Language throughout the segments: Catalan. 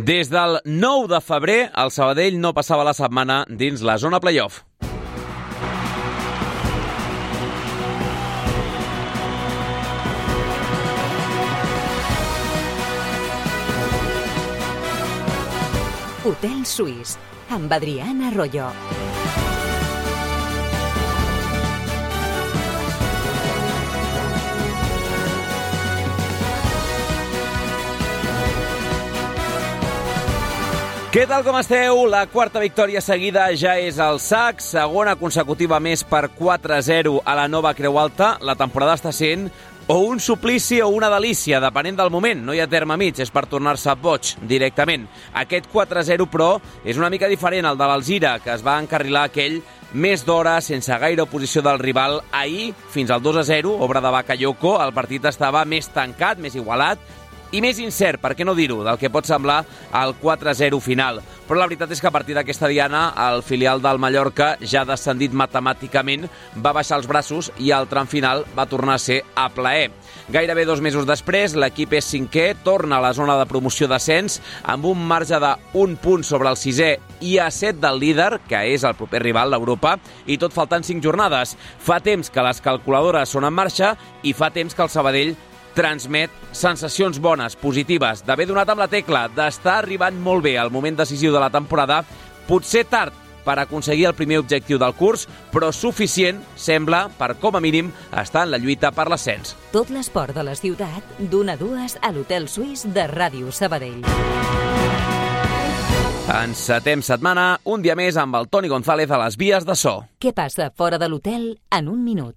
Des del 9 de febrer, el Sabadell no passava la setmana dins la zona playoff. Hotel Suís, amb Adrián Arroyo. Què tal, com esteu? La quarta victòria seguida ja és al sac, segona consecutiva més per 4-0 a la Nova Creu Alta. La temporada està sent o un suplici o una delícia, depenent del moment. No hi ha terme mig, és per tornar-se boig directament. Aquest 4-0, però, és una mica diferent al de l'Alzira, que es va encarrilar aquell més d'hora, sense gaire oposició del rival. Ahir, fins al 2-0, obra de Bakayoko, el partit estava més tancat, més igualat, i més incert, per què no dir-ho, del que pot semblar el 4-0 final. Però la veritat és que a partir d'aquesta diana, el filial del Mallorca, ja descendit matemàticament, va baixar els braços i el tram final va tornar a ser a plaer. Gairebé 2 mesos després, l'equip és cinquè, torna a la zona de promoció d'ascens, amb un marge d'1 punt sobre el sisè i a 7 del líder, que és el proper rival, l'Europa, i tot faltant 5 jornades. Fa temps que les calculadores són en marxa i fa temps que el Sabadell transmet sensacions bones, positives, d'haver donat amb la tecla, d'estar arribant molt bé al moment decisiu de la temporada, potser tard per aconseguir el primer objectiu del curs, però suficient, sembla, per com a mínim estar en la lluita per l'ascens. Tot l'esport de la ciutat, d'1 a 2 a l'Hotel Suís de Ràdio Sabadell. Encetem setmana, un dia més amb el Toni González a les vies de so. Què passa fora de l'hotel en un minut?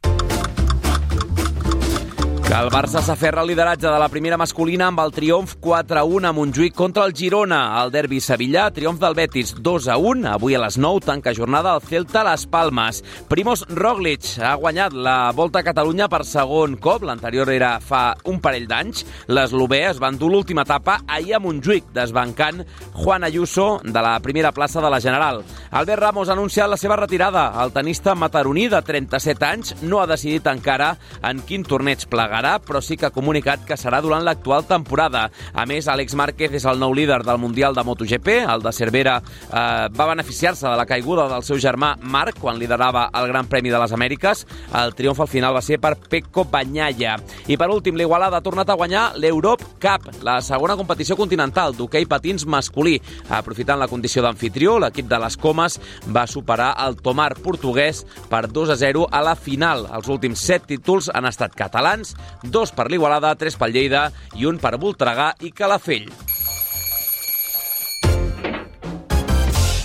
Que el Barça s'aferra al lideratge de la primera masculina amb el triomf 4-1 a Montjuïc contra el Girona. El derbi sevillà, triomf del Betis 2-1. Avui a les 9 tanca jornada el Celta a les Palmes. Primož Roglič ha guanyat la Volta a Catalunya per segon cop. L'anterior era fa un parell d'anys. L'eslovè es va endur l'última etapa ahir a Montjuïc, desbancant Juan Ayuso de la primera plaça de la General. Albert Ramos ha anunciat la seva retirada. El tenista mataroní de 37 anys no ha decidit encara en quin torneig plegarà, però sí que ha comunicat que serà durant l'actual temporada. A més, Àlex Márquez és el nou líder del Mundial de MotoGP. El de Cervera va beneficiar-se de la caiguda del seu germà Marc quan liderava el Gran Premi de les Amèriques. El triomf al final va ser per Pecco Bagnaia. I per últim, l'Igualada ha tornat a guanyar l'Europe Cup, la segona competició continental d'hoquei patins masculí. Aprofitant la condició d'anfitrió, l'equip de les Comes va superar el Tomar portuguès per 2-0 a la final. Els últims 7 títols han estat catalans, 2 per l'Igualada, 3 pel Lleida i 1 per Voltregà i Calafell.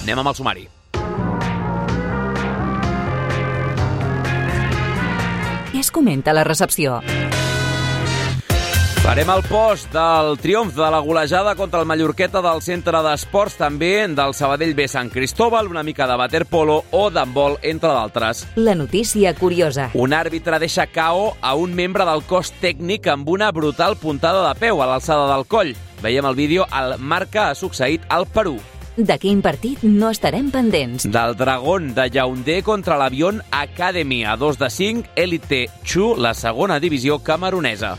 Anem amb el sumari. Què es comenta a la recepció? Farem el post del triomf de la golejada contra el Mallorqueta del Centre d'Esports, també del Sabadell B Sant Cristóbal, una mica de waterpolo o d'handbol, entre d'altres. La notícia curiosa. Un àrbitre deixa KO a un membre del cos tècnic amb una brutal puntada de peu a l'alçada del coll. Veiem el vídeo, el Marca ha succeït al Perú. De quin partit no estarem pendents? Del Dragón de Yaoundé contra l'Avión Academy, a 2-5, Elite Chu, la segona divisió camerunesa.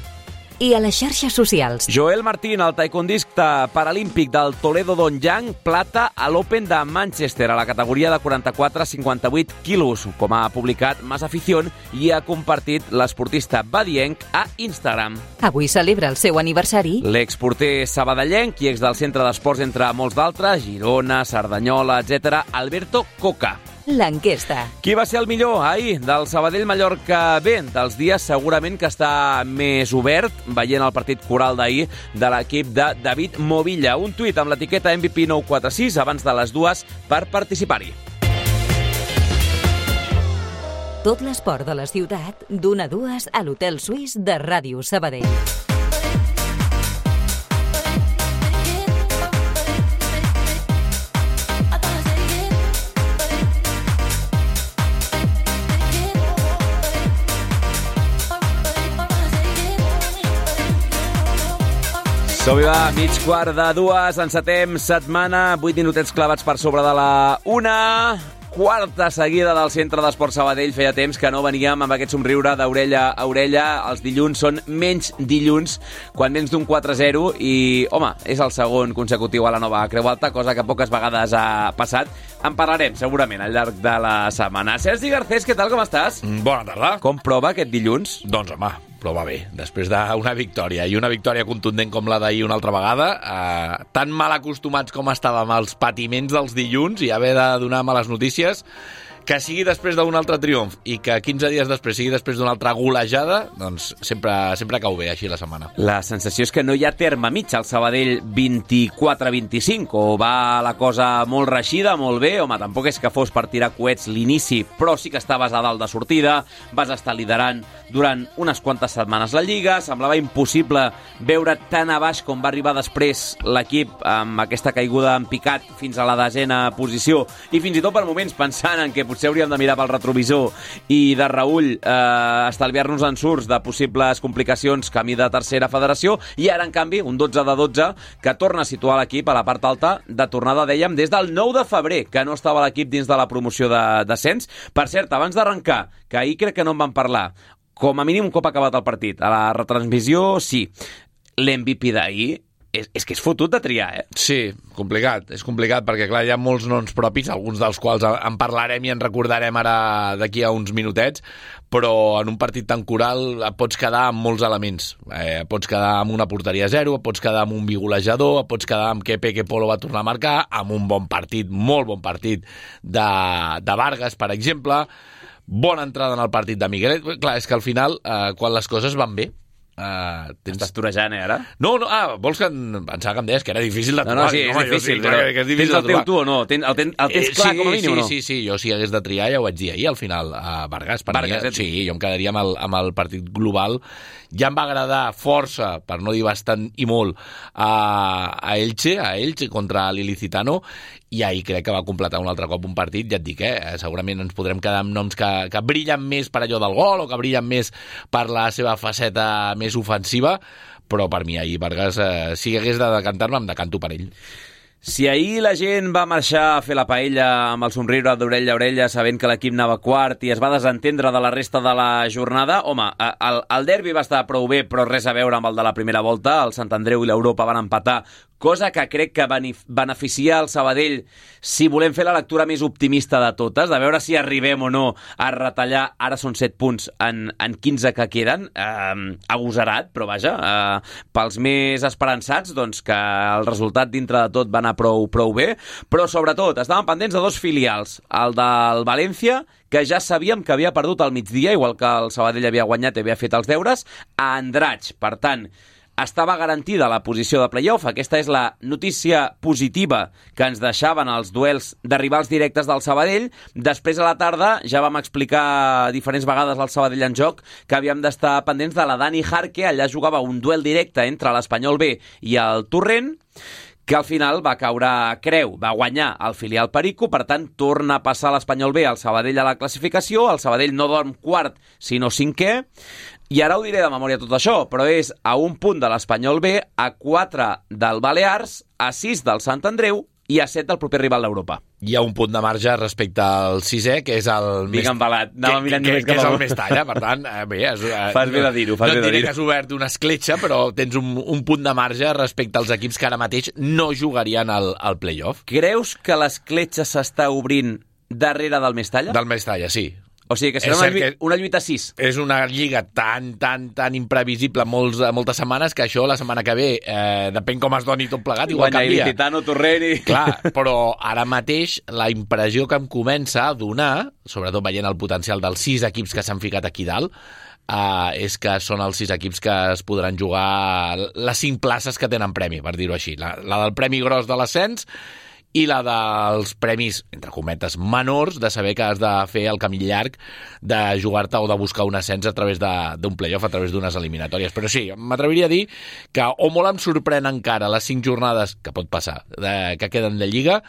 I a les xarxes socials. Joel Martín, el taekwondista paralímpic del Toledo Dongyan, plata a l'Open de Manchester a la categoria de 44-58 quilos. Com ha publicat Más Afición i ha compartit l'esportista badienc a Instagram. Avui celebra el seu aniversari. L'exporter sabadellenc i ex del Centre d'Esports, entre molts d'altres, Girona, Cerdanyola, etc., Alberto Coca. L'enquesta. Qui va ser el millor ahir del Sabadell-Mallorca B? Dels dies segurament que està més obert, veient el partit coral d'ahir de l'equip de David Movilla. Un tuit amb l'etiqueta MVP 946 abans de les 2 per participar-hi. Tot l'esport de la ciutat, d'1 a 2 a l'Hotel Suís de Ràdio Sabadell. Som-hi va, mig quart de 2, encetem setmana, 8 minutets clavats per sobre de la 1. quarta seguida del Centre d'Esport Sabadell. Feia temps que no veníem amb aquest somriure d'orella a orella. Els dilluns són menys dilluns quan vens d'un 4-0 i, home, és el segon consecutiu a la nova Creu Alta, cosa que poques vegades ha passat. En parlarem, segurament, al llarg de la setmana. Sergi Garcés, què tal, com estàs? Bona tarda. Com prova aquest dilluns? Doncs, home, prova bé. Després d'una victòria, i una victòria contundent com la d'ahir una altra vegada, tan mal acostumats com estàvem als patiments dels dilluns i haver de donar males notícies, que sigui després d'un altre triomf i que 15 dies després sigui després d'una altra golejada, doncs sempre cau bé així la setmana. La sensació és que no hi ha terme mig al Sabadell 24-25, o va la cosa molt reixida, molt bé, home, tampoc és que fos per tirar coets l'inici, però sí que estaves a dalt de sortida, vas estar liderant durant unes quantes setmanes la Lliga, semblava impossible veure tan a baix com va arribar després l'equip amb aquesta caiguda en picat fins a la 10ª posició, i fins i tot per moments pensant en que potser hauríem de mirar pel retrovisor i de reüll estalviar-nos ensurts de possibles complicacions camí de tercera federació, i ara, en canvi, un 12-12 que torna a situar l'equip a la part alta de tornada, dèiem, des del 9 de febrer, que no estava l'equip dins de la promoció de descens. Per cert, abans d'arrencar, que ahir crec que no en vam parlar, com a mínim un cop acabat el partit, a la retransmissió, sí, l'MVP d'ahir és que és fotut de triar, eh? Sí, és complicat perquè, clar, hi ha molts noms propis, alguns dels quals en parlarem i en recordarem ara d'aquí a uns minutets, però en un partit tan coral et pots quedar amb molts elements. Pots quedar amb una porteria a 0, pots quedar amb un bigolejador, pots quedar amb que Peque Polo va tornar a marcar, amb un bon partit, molt bon partit de Vargas, per exemple, bona entrada en el partit de Miguelet. Clar, és que al final, quan les coses van bé, estàs torejant, ara? No, vols que pensava que em deies que era difícil de trobar? No, sí, és difícil, però tens el teu tu o no? El tens clar com a mínim o no? Sí, jo si hagués de triar ja ho vaig dir ahir, al final, Vargas, sí, jo em quedaria amb el partit global. Ja em va agradar força, per no dir bastant i molt, a Elche contra l'Ilicitano, i ahir crec que va completar un altre cop un partit, ja et dic, segurament ens podrem quedar amb noms que brillen més per allò del gol o que brillen més per la seva faceta més ofensiva, però per mi ahir Vargas, si hagués de decantar-me, em decanto per ell. Si ahir la gent va marxar a fer la paella amb el somriure d'orella a orella sabent que l'equip anava quart i es va desentendre de la resta de la jornada, home, el derbi va estar prou bé, però res a veure amb el de la primera volta. El Sant Andreu i l'Europa van empatar, cosa que crec que beneficia el Sabadell si volem fer la lectura més optimista de totes, de veure si arribem o no a retallar, ara són 7 punts en 15 que queden, agosarat, però vaja, pels més esperançats, doncs que el resultat dintre de tot va anar prou bé, però sobretot estaven pendents de 2 filials, el del València, que ja sabíem que havia perdut al migdia, igual que el Sabadell havia guanyat i havia fet els deures, a Andratx. Per tant, estava garantida la posició de playoff. Aquesta és la notícia positiva que ens deixaven els duels de rivals directes del Sabadell. Després, a la tarda, ja vam explicar diferents vegades al Sabadell en joc que havíem d'estar pendents de la Dani Jarque. Allà jugava un duel directe entre l'Espanyol B i el Torrent, que al final va caure a creu, va guanyar el filial Perico, per tant torna a passar l'Espanyol B al Sabadell a la classificació. El Sabadell no dorm quart, sinó 5è, i ara ho diré de memòria tot això, però és a 1 punt de l'Espanyol B, a 4 del Balears, a 6 del Sant Andreu i a 7 del proper rival d'Europa. Hi ha un punt de marge respecte al 6è, que és el més... embalat, anava mirant només que és el més talla, per tant, bé... Fas bé de dir-ho, No et diré que has obert una escletxa, però tens un punt de marge respecte als equips que ara mateix no jugarien al playoff. Creus que l'escletxa s'està obrint darrere del més talla? Del més talla, sí. O sigui que serà una lluita 6. És una lliga tan imprevisible moltes setmanes que això la setmana que ve, depèn com es doni tot plegat, igual canvia. Ilicitano, Torrent i... Clar, però ara mateix la impressió que em comença a donar, sobretot veient el potencial dels 6 equips que s'han ficat aquí dalt, és que són els 6 equips que es podran jugar les 5 places que tenen premi, per dir-ho així. La del premi gros de l'ascens i la dels premis, entre cometes, menors, de saber que has de fer el camí llarg de jugar-te o de buscar un ascens a través d'un playoff, a través d'unes eliminatòries. Però sí, m'atreviria a dir que o molt em sorprèn encara les 5 jornades, que pot passar, que queden de Lliga,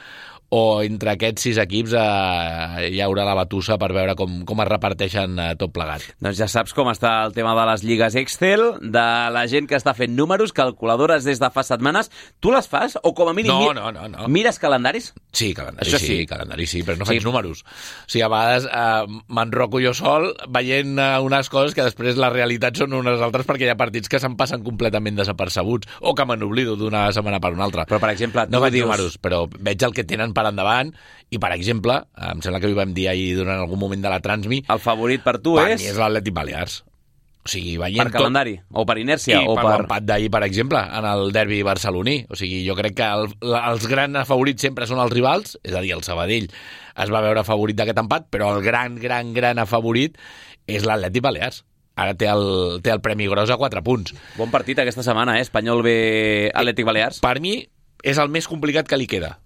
o entre aquests 6 equips hi haurà la batussa per veure com es reparteixen tot plegat. Doncs ja saps com està el tema de les lligues Excel, de la gent que està fent números, calculadores des de fa setmanes. Tu les fas? O com a mínim no. mires que calendaris? Sí, calendari Això sí, calendari sí, però no faig números. O sigui, a vegades m'enroco jo sol veient unes coses que després la realitat són unes altres perquè hi ha partits que se'n passen completament desapercebuts o que me n'oblido d'una setmana per una altra. Però, per exemple, no faig números, però veig el que tenen per endavant i, per exemple, em sembla que ho vam dir ahir durant algun moment de la Transmi, el favorit per tu per mi és l'Atlètic Balears. O sigui, veient per calendari, o per inèrcia, i o per l'empat d'ahir, per exemple, en el derbi barceloní. O sigui, jo crec que els grans favorits sempre són els rivals, és a dir, el Sabadell es va veure favorit d'aquest empat, però el gran favorit és l'Atlètic Balears. Ara té el Premi Gros a 4 punts. Bon partit aquesta setmana, Espanyol B, Atlètic Balears. Per mi és el més complicat que li queda,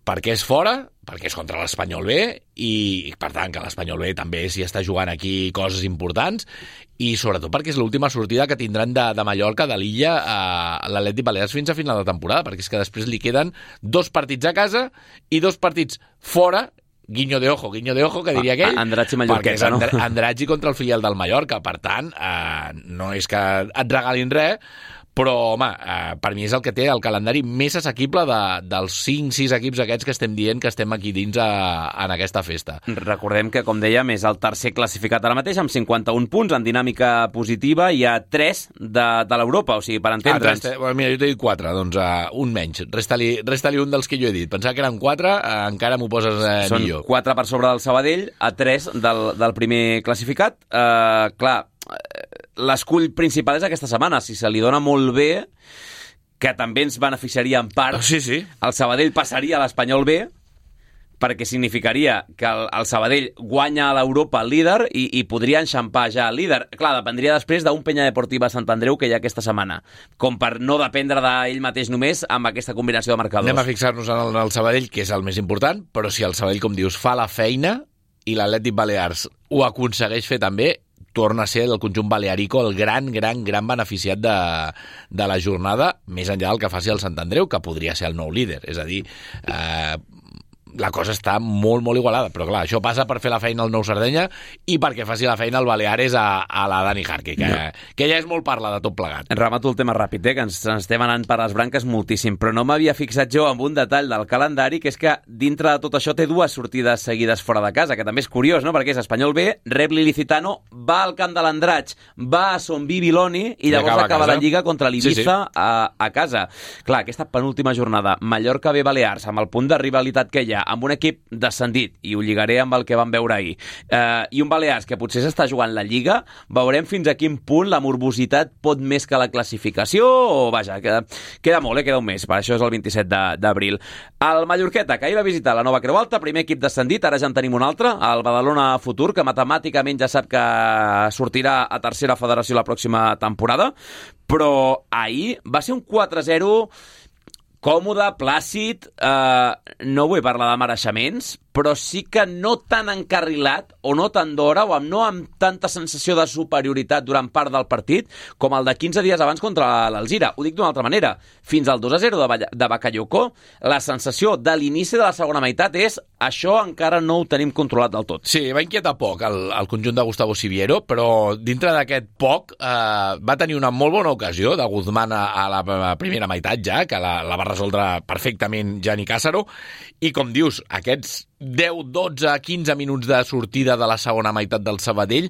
perquè és fora, perquè és contra l'Espanyol B i per tant que l'Espanyol B també s'hi està jugant aquí coses importants i sobretot perquè és l'última sortida que tindran de Mallorca, de l'Illa a l'Atlètic Balears fins a final de temporada, perquè és que després li queden 2 partits a casa i 2 partits fora, guiño de ojo, que diria aquell, Andratx i Mallorqueta, perquè és Andratx contra el filial del Mallorca, per tant no és que et regalin res, però, home, per mi és el que té el calendari més assequible dels 5-6 equips aquests que estem dient que estem aquí dins en aquesta festa. Recordem que, com dèiem, és el tercer classificat ara mateix, amb 51 punts, en dinàmica positiva, hi ha 3 de l'Europa, o sigui, per entendre'ns... Mira, jo t'he dit 4, doncs un menys. Resta-li un dels que jo he dit. Pensava que eren 4, encara m'ho poses millor. Són 4 per sobre del Sabadell, a 3 del primer classificat. Clar, l'escull principal és aquesta setmana. Si se li dona molt bé, que també ens beneficiaria en part, sí. el Sabadell passaria a l'Espanyol B, perquè significaria que el Sabadell guanya a l'Europa el líder i podria enxampar ja el líder. Clar, dependria després d'un Penya Deportiva Sant Andreu que hi ha aquesta setmana, com per no dependre d'ell mateix només amb aquesta combinació de marcadors. Anem a fixar-nos en el Sabadell, que és el més important, però si el Sabadell, com dius, fa la feina i l'Atlètic Balears ho aconsegueix fer també, torna a ser el conjunt balearico el gran beneficiat de la jornada, més enllà del que faci el Sant Andreu, que podria ser el nou líder. És a dir, la cosa està molt igualada, però clar, això passa per fer la feina al Nou Sardenya i perquè faci la feina el Baleares a la Dani Jarque, que ja és molt parla de tot plegat. Remato el tema ràpid, que ens estem anant per les branques moltíssim, però no m'havia fixat jo en un detall del calendari, que és que dintre de tot això té 2 sortides seguides fora de casa, que també és curiós, no? Perquè és Espanyol B, rep l'Ilicitano, va al camp de l'Andratx, va a Son Bibiloni i llavors acaba la Lliga contra l'Ibiza a casa. Clar, aquesta penúltima jornada, Mallorca B Balears, amb el punt de rivalitat que hi ha, amb un equip descendit, i ho lligaré amb el que vam veure ahir, i un Balears que potser s'està jugant la Lliga, veurem fins a quin punt la morbositat pot més que la classificació, o vaja, queda molt, queda un mes, per això és el 27 d'abril. El Mallorqueta, que ahir va visitar la Nova Creu Alta, primer equip descendit, ara ja en tenim un altre, el Badalona Futur, que matemàticament ja sap que sortirà a tercera federació la pròxima temporada, però ahir va ser un 4-0 còmode, plàcid, no vull parlar de mereixements, però sí que no tan encarrilat o no tan d'hora o no amb tanta sensació de superioritat durant part del partit com el de 15 dies abans contra l'Alzira. Ho dic d'una altra manera. Fins al 2-0 de Bakayoko, la sensació de l'inici de la segona meitat és això encara no ho tenim controlat del tot. Sí, va inquietar poc el conjunt de Gustavo Siviero, però dintre d'aquest poc va tenir una molt bona ocasió de Guzmán a la primera meitat ja, que la va resoldre perfectament Gianni Cássaro, i com dius, aquests 10, 12, 15 minuts de sortida de la segona meitat del Sabadell,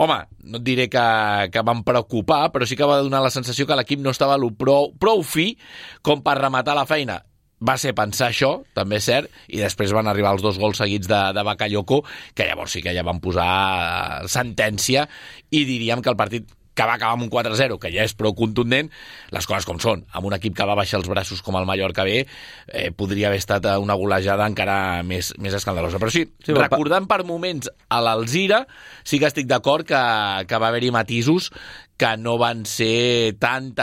home, no et diré que van preocupar, però sí que va donar la sensació que l'equip no estava prou fi com per rematar la feina. Va ser pensar això, també és cert, i després van arribar els 2 gols seguits de Bakayoko, que llavors sí que ja van posar sentència, i diríem que el partit que va acabar amb un 4-0, que ja és prou contundent, les coses com són. Amb un equip que va baixar els braços com el Mallorca B, podria haver estat una golejada encara més escandalosa. Però sí, recordant per moments a l'Alzira, sí que estic d'acord que va haver-hi matisos que no van ser tan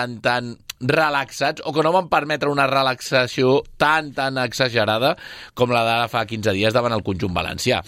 relaxats, o que no van permetre una relaxació tan exagerada com la d'ara fa 15 dies davant el conjunt valencià.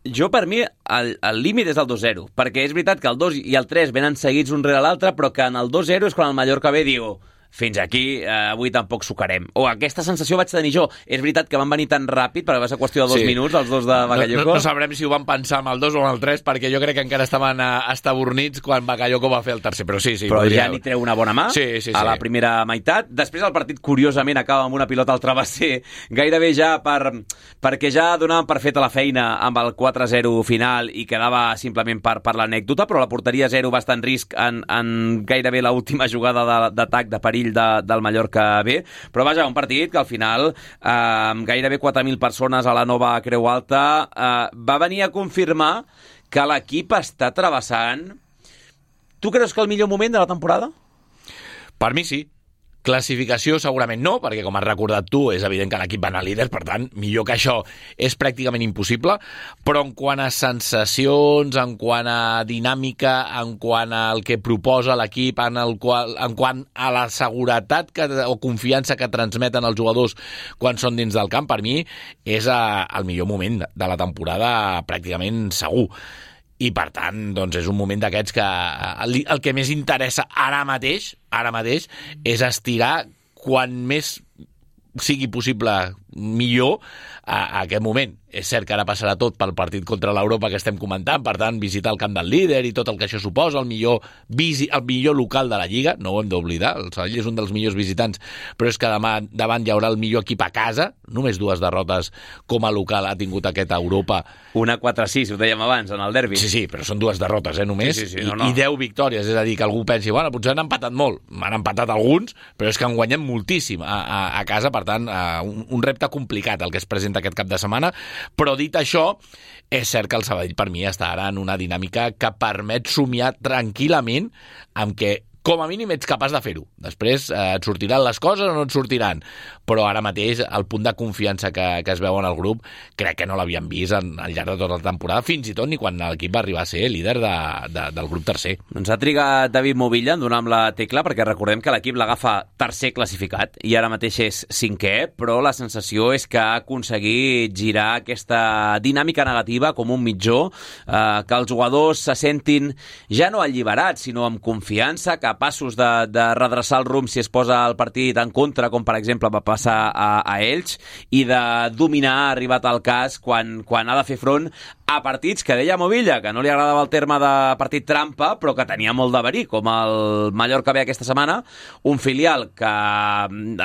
Jo, per mi, el límit és el 2-0, perquè és veritat que el 2 i el 3 venen seguits un rere l'altre, però que en el 2-0 és quan el Mallorca B diu fins aquí, avui tampoc sucarem. O aquesta sensació vaig tenir jo. És veritat que van venir tan ràpid, perquè va ser qüestió de 2 minuts, els dos de Bakayoko. No sabrem si ho van pensar amb el 2 o amb el 3, perquè jo crec que encara estaven estabornits quan Bakayoko va fer el tercer, però sí. Però ja n'hi treu una bona mà a la primera meitat. Després el partit, curiosament, acaba amb una pilota al travesser, gairebé ja perquè ja donaven per feta la feina amb el 4-0 final i quedava simplement per l'anècdota, però la porteria 0 va estar en risc en gairebé l'última jugada d'atac de perill del Mallorca B. Però vaja, un partit que al final, amb gairebé 4.000 persones a la nova Creu Alta, va venir a confirmar que l'equip està travessant... Tu creus que el millor moment de la temporada? Per mi sí. Classificació segurament no, perquè com has recordat tu, és evident que l'equip va anar líder, per tant, millor que això és pràcticament impossible, però en quant a sensacions, en quant a dinàmica, en quant al que proposa l'equip, en quant a la seguretat o confiança que transmeten els jugadors quan són dins del camp, per mi és el millor moment de la temporada pràcticament segur. I, per tant, doncs és un moment d'aquests que el que més interessa ara mateix és estirar quan més sigui possible millor a aquest moment. És cert que ara passarà tot pel partit contra l'Europa que estem comentant, per tant, visitar el camp del líder i tot el que això suposa, el millor local de la Lliga, no ho hem d'oblidar, el Sabadell és un dels millors visitants, però és que demà davant hi haurà el millor equip a casa, només 2 derrotes com a local ha tingut aquest Europa. Una 4-6, ho dèiem abans, en el derbi. Sí, però són 2 derrotes, només, sí, no. I 10 victòries, és a dir, que algú pensi, bueno, potser han empatat molt, han empatat alguns, però és que han guanyat moltíssim a casa, per tant, un repte complicat el que es presenta aquest cap de setmana. Però dit això, és cert que el Sabadell per mi està ara en una dinàmica que permet somiar tranquil·lament amb que com a mínim ets capaç de fer-ho. Després et sortiran les coses o no et sortiran. Però ara mateix el punt de confiança que es veu en el grup crec que no l'havíem vist al llarg de tota la temporada, fins i tot ni quan l'equip va arribar a ser líder del grup tercer. Doncs ha trigat David Movilla en donar amb la tecla, perquè recordem que l'equip l'agafa tercer classificat i ara mateix és 5è, però la sensació és que ha aconseguit girar aquesta dinàmica negativa com un mitjó, que els jugadors se sentin ja no alliberats, sinó amb confiança, capaços de redreçar el rumb si es posa el partit en contra, com per exemple va passar a Elx, i de dominar, ha arribat al cas, quan ha de fer front a partits que deia Movilla, que no li agradava el terme de partit trampa, però que tenia molt de verí, com el Mallorca B aquesta setmana, un filial que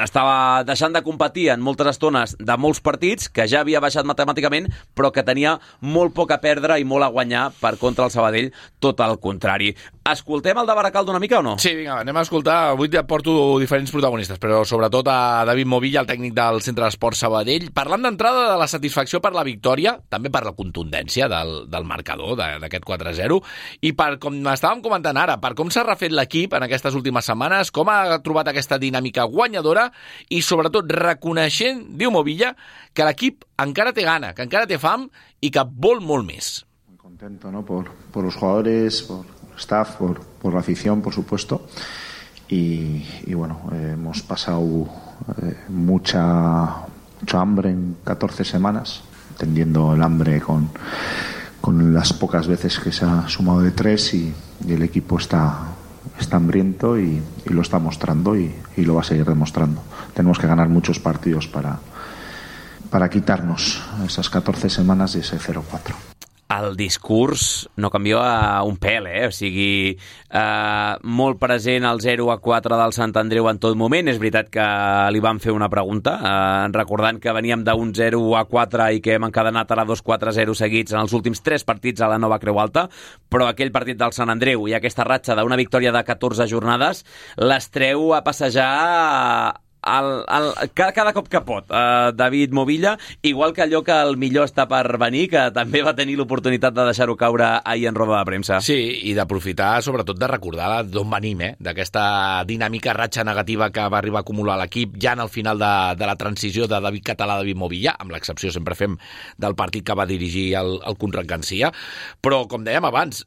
estava deixant de competir en moltes estones de molts partits, que ja havia baixat matemàticament, però que tenia molt poc a perdre i molt a guanyar per contra el Sabadell, tot el contrari. Escoltem el de Baracaldo una mica o no? Sí, vinga, anem a escoltar. Avui et porto diferents protagonistes, però sobretot a David Movilla, el tècnic del Centre d'Esports Sabadell, parlant d'entrada de la satisfacció per la victòria, també per la contundència del marcador d'aquest 4-0, i per, com estàvem comentant ara, per com s'ha refet l'equip en aquestes últimes setmanes, com ha trobat aquesta dinàmica guanyadora i sobretot reconeixent, diu Movilla, que l'equip encara té gana, que encara té fam i que vol molt més. Muy contento, ¿no? por los jugadores, por el staff, por la afición, por supuesto. Y bueno, hemos pasado mucho hambre en 14 semanas, entendiendo el hambre con las pocas veces que se ha sumado de 3 y el equipo está hambriento y lo está mostrando y lo va a seguir demostrando. Tenemos que ganar muchos partidos para quitarnos esas 14 semanas y ese 0-4. El discurs no canvia un pèl, o sigui, molt present el 0-4 del Sant Andreu en tot moment. És veritat que li van fer una pregunta, recordant que veníem d'un 0-4 i que hem encadenat ara 2-4-0 seguits en els últims 3 partits a la nova Creu Alta, però aquell partit del Sant Andreu i aquesta ratxa d'una victòria de 14 jornades les treu a passejar cada cop que pot, David Movilla, igual que allò que el millor està per venir, que també va tenir l'oportunitat de deixar-ho caure ahir en roda de premsa. Sí, i d'aprofitar sobretot de recordar d'on venim, d'aquesta dinàmica ratxa negativa que va arribar a acumular l'equip ja en el final de la transició de David Català a David Movilla, amb l'excepció sempre fem del partit que va dirigir el Conrad Garcia, però com dèiem abans,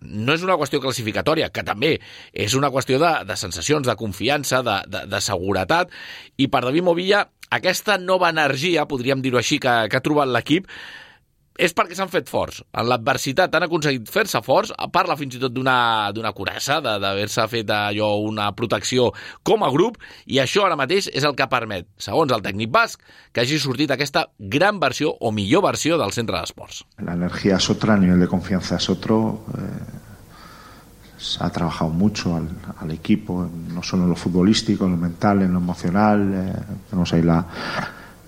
no és una qüestió classificatòria, que també és una qüestió de sensacions, de confiança, de seguretat. I per David Movilla, aquesta nova energia, podríem dir-ho així, que ha trobat l'equip, és perquè s'han fet forts. En l'adversitat han aconseguit fer-se forts, parla fins i tot d'una curassa, d'haver-se fet allò una protecció com a grup, i això ara mateix és el que permet, segons el tècnic basc, que hagi sortit aquesta gran versió o millor versió del centre d'esports. La energía es otra, el nivel de confianza es otro. Se ha trabajado mucho al equipo, no solo en lo futbolístico, en lo mental, en lo emocional. Tenemos ahí la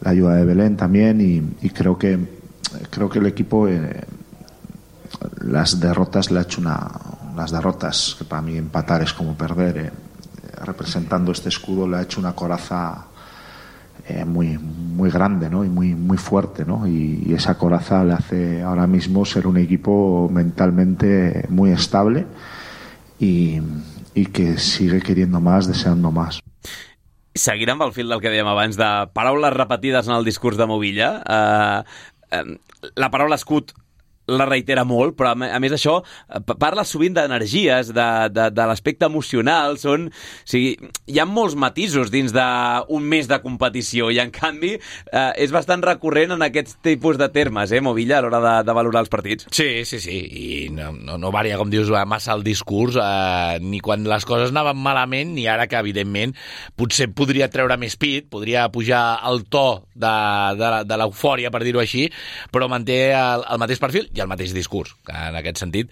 ayuda de Belén también y creo que el equipo las derrotas le ha hecho las derrotas, que para mí empatar es como perder, representando este escudo le ha hecho una coraza muy, muy grande, ¿no? Y muy fuerte, ¿no? Y esa coraza le hace ahora mismo ser un equipo mentalmente muy estable y que sigue queriendo más, deseando más. Seguint amb el fil del que dèiem abans de paraules repetides en el discurs de Movilla, la paraula escut la reitera molt, però a més d'això parla sovint d'energies, de l'aspecte emocional, o sigui, hi ha molts matisos dins d'un mes de competició i en canvi és bastant recurrent en aquests tipus de termes, Movilla, a l'hora de valorar els partits. Sí, i no varia, com dius, massa el discurs, ni quan les coses anaven malament, ni ara que, evidentment, potser podria treure més pit, podria pujar el to de l'eufòria, per dir-ho així, però manté el mateix perfil i el mateix discurs, que en aquest sentit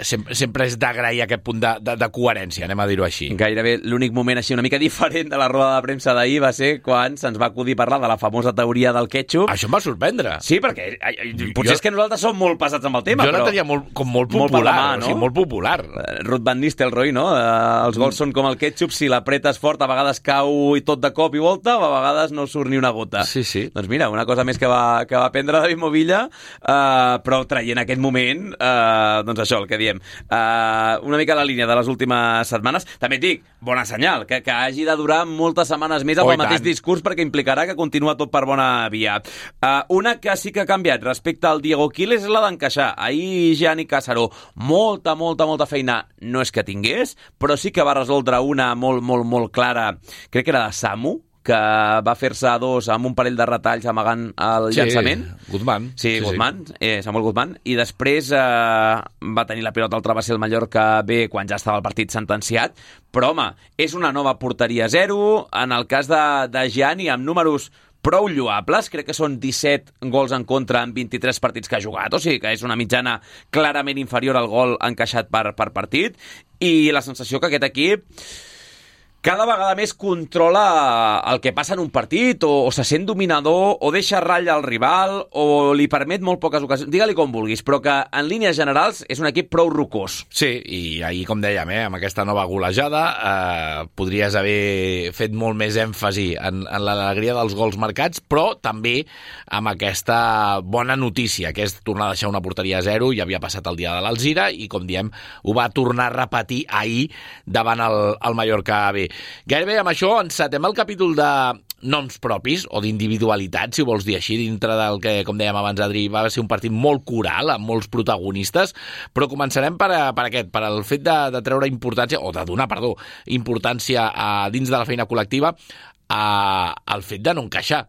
sempre és d'agrair aquest punt de coherència, anem a dir-ho així. Gairebé l'únic moment així una mica diferent de la roda de premsa d'ahir va ser quan se'ns va acudir parlar de la famosa teoria del ketchup. Això em va sorprendre. Sí, perquè potser és que nosaltres som molt passats amb el tema, jo la tenia molt popular, no? O sigui, molt popular. Ruth Van Nistelrooy, no? Els gols són com el ketchup, si l'apretes fort a vegades cau i tot de cop i volta, o a vegades no surt ni una gota. Sí. Doncs mira, una cosa més que va aprendre David Movilla, però traient aquest moment, doncs això, el que diem, una mica la línia de les últimes setmanes. També et dic, bona senyal, que hagi de durar moltes setmanes més amb el mateix discurs, perquè implicarà que continua tot per bona via. Una que sí que ha canviat respecte al Diego Quiles és la d'encaixar. Ahir Gianni Cássaro, molta feina no és que tingués, però sí que va resoldre una molt clara, crec que era de Samu, que va fer-se a dos amb un parell de retalls amagant el llançament. Guzmán. Sí, Guzmán, Samuel Guzmán. I després va tenir la pilota al travesser el Mallorca B quan ja estava el partit sentenciat. Però, home, és una nova porteria 0. En el cas de Gianni, amb números prou lloables, crec que són 17 gols en contra en 23 partits que ha jugat, o sigui que és una mitjana clarament inferior al gol encaixat per partit, i la sensació que aquest equip cada vegada més controla el que passa en un partit, o se sent dominador, o deixa ratlla al rival, o li permet molt poques ocasions. Digue-li com vulguis, però que en línies generals és un equip prou rocós. Sí, i ahir, com dèiem, amb aquesta nova golejada podries haver fet molt més èmfasi en l'alegria dels gols marcats, però també amb aquesta bona notícia, que és tornar a deixar una porteria a 0, ja havia passat el dia de l'Alzira, i, com diem, ho va tornar a repetir ahir davant el Mallorca B. Gairebé amb això encetem el capítol de noms propis o d'individualitat, si vols dir així, dintre del que, com dèiem abans, Adri, va ser un partit molt coral, amb molts protagonistes, però començarem per el fet de treure importància, o de donar, importància dins de la feina col·lectiva al fet de no encaixar,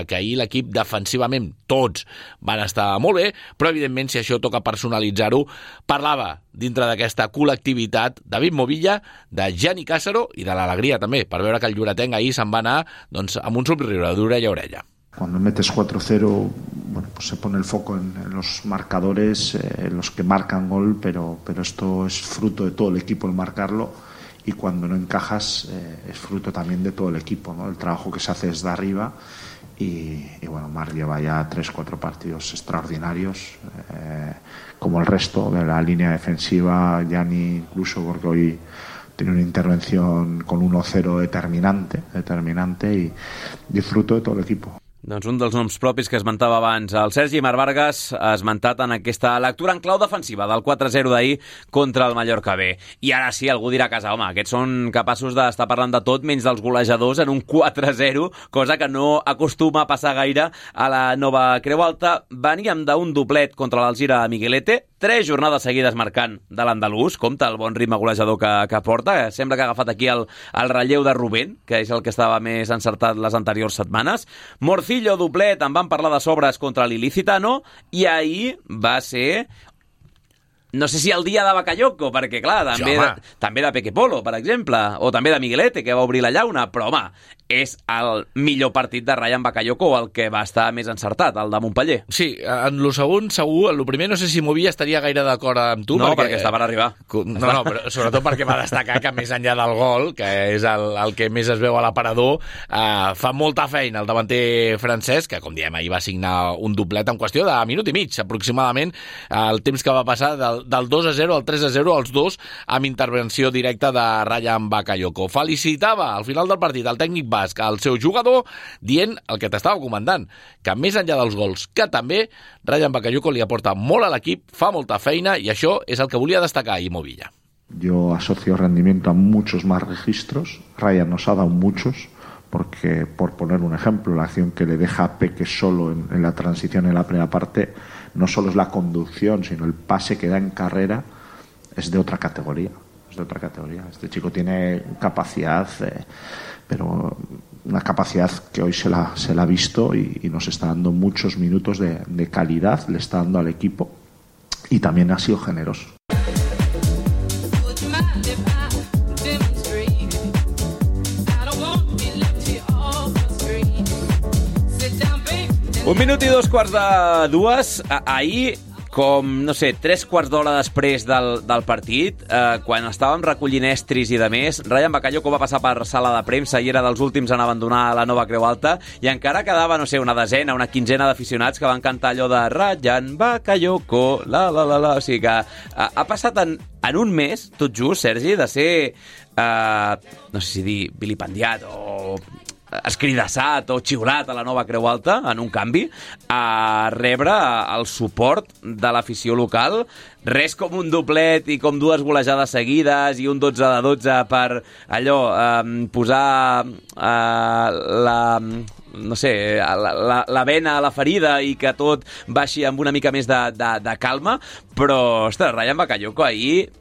que ahir l'equip defensivament tots van estar molt bé, però evidentment si això toca personalitzar-ho, parlava dintre d'aquesta col·lectivitat David Movilla, de Gianni Cássaro i de l'alegria també, per veure que el lloretenc ahir se'n va anar amb un somriure d'orella a orella. Cuando metes 4-0, bueno, pues se pone el foco en los marcadores, en los que marcan gol, pero esto es fruto de todo el equipo el marcarlo. Y cuando no encajas es fruto también de todo el equipo, ¿no? El trabajo que se hace desde arriba y bueno, Marc lleva ya 3-4 partidos extraordinarios, como el resto de la línea defensiva, Gianni incluso, porque hoy tiene una intervención con 1-0 determinante y disfruto de todo el equipo. Doncs un dels noms propis que esmentava abans, el Sergi Mar Vargas, esmentat en aquesta lectura en clau defensiva del 4-0 d'ahir contra el Mallorca B. I ara sí, algú dirà a casa, home, aquests són capaços d'estar parlant de tot menys dels golejadors en un 4-0, cosa que no acostuma a passar gaire a la nova Creu Alta. Veníem d'un doblet contra l'Alzira a Miguelete, 3 jornades seguides marcant de l'andalús, compte el bon ritme golejador que porta, sembla que ha agafat aquí el relleu de Rubén, que és el que estava més encertat les anteriors setmanes. Morcillo, doblet, en van parlar de sobres contra l'Ilicitano, i ahir va ser... No sé si el dia de Bakayoko, perquè, clar, també de Peque Polo, per exemple, o també de Miguelete, que va obrir la llauna, però, home, és el millor partit de Rayan Bakayoko, el que va estar més encertat, el de Montpeller. Sí, en lo segon, segur, en lo primer no sé si Movilla estaria gaire d'acord amb tu. No, perquè està per arribar. No, però sobretot perquè va destacar que més enllà del gol, que és el que més es veu a l'aparador, fa molta feina el davanter francès, que, com diem, ahir va signar un doblet en qüestió de minut i mig, aproximadament, el temps que va passar del 2-0 al 3-0, els dos amb intervenció directa de Rayan Bakayoko. Felicitava al final del partit el tècnic basc al seu jugador, dient el que t'estava comentant, que més enllà dels gols, que també Rayan Bakayoko li aporta molt a l'equip, fa molta feina, i això és el que volia destacar ahir Movilla. Yo asocio rendimiento a muchos más registros. Rayan nos ha dado muchos, porque, por poner un ejemplo, la acción que le deja a Peque solo en la transición en la primera parte, no solo es la conducción, sino el pase que da en carrera, es de otra categoría. Es de otra categoría. Este chico tiene capacidad, pero una capacidad que hoy se la ha visto y nos está dando muchos minutos de calidad, le está dando al equipo, y también ha sido generoso. Un minut i 2:15. Ahir, com, no sé, 3/4 d'hora després del partit, quan estàvem recollint estris i de més, Rayan Bakayoko va passar per sala de premsa i era dels últims en abandonar la nova Creu Alta, i encara quedava, no sé, una desena, una quinzena d'aficionats que van cantar allò de Rayan Bakayoko, la. O sigui que ha passat en un mes, tot just, Sergi, de ser, no sé si dir vilipendiat o escridassat o xiulat a la nova Creu Alta, en un canvi, a rebre el suport de l'afició local. Res com un doblet i com 2 golejades seguides i un 12-12 per allò, posar no sé, la vena a la ferida i que tot baixi amb una mica més de calma, però, ostres, Rayan Bakayoko ahir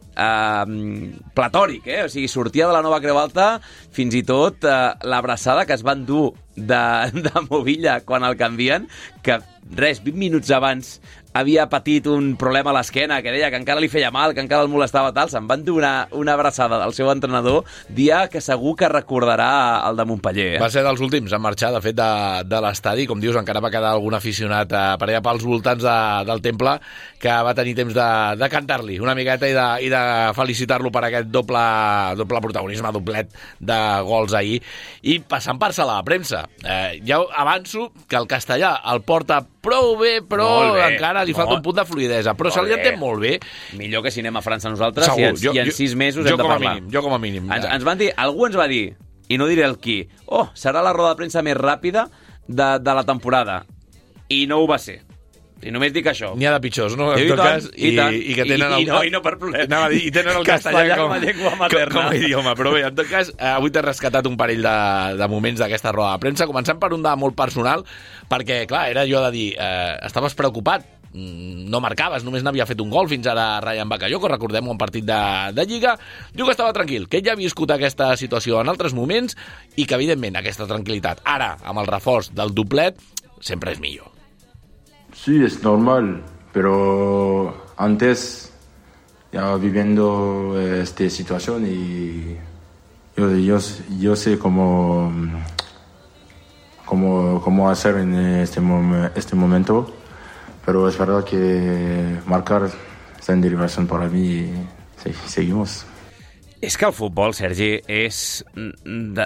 platòric, o sigui, sortia de la nova Creu Alta, fins i tot l'abraçada que es van dur de Movilla quan el canvien, que res, 20 minuts abans havia patit un problema a l'esquena, que deia que encara li feia mal, que encara el molestava tal, se'n van donar una abraçada del seu entrenador, dia que segur que recordarà el de Montpeller. Va ser dels últims a marxar, de fet, de l'estadi. Com dius, encara va quedar algun aficionat per allà pels voltants del temple que va tenir temps de cantar-li una miqueta i de felicitar-lo per aquest doble protagonisme, doblet de gols ahir. I passant per sala de premsa, ja avanço que el castellà el porta prou bé, però encara li falta un punt de fluidesa, però se li entén molt bé. Millor que si anem a França nosaltres. Segur, i en 6 mesos hem de parlar. Jo com a mínim. Ens van dir, algú ens va dir, i no diré el qui, serà la roda de premsa més ràpida de la temporada. I no ho va ser. I només dic això. N'hi ha de pitjors, no? En tot cas, i que tenen no per problema. I tenen el castellà com a llengua materna. Com a idioma. Però bé, en tot cas, avui t'he rescatat un parell de moments d'aquesta roda de premsa, començant per un de molt personal, perquè, clar, era allò de dir, estaves preocupat, no marcaves, només n'havia fet un gol fins ara Rayan Bakayoko, recordem-ho, un partit de Lliga. Diu que estava tranquil, que ell ja havia viscut aquesta situació en altres moments i que, evidentment, aquesta tranquil·litat, ara, amb el reforç del doblet, sempre és millor. Sí, es normal, pero antes ya viviendo esta situación y yo sé cómo hacer en este momento, pero es verdad que marcar está en derivación para mí y seguimos. És que el futbol, Sergi, en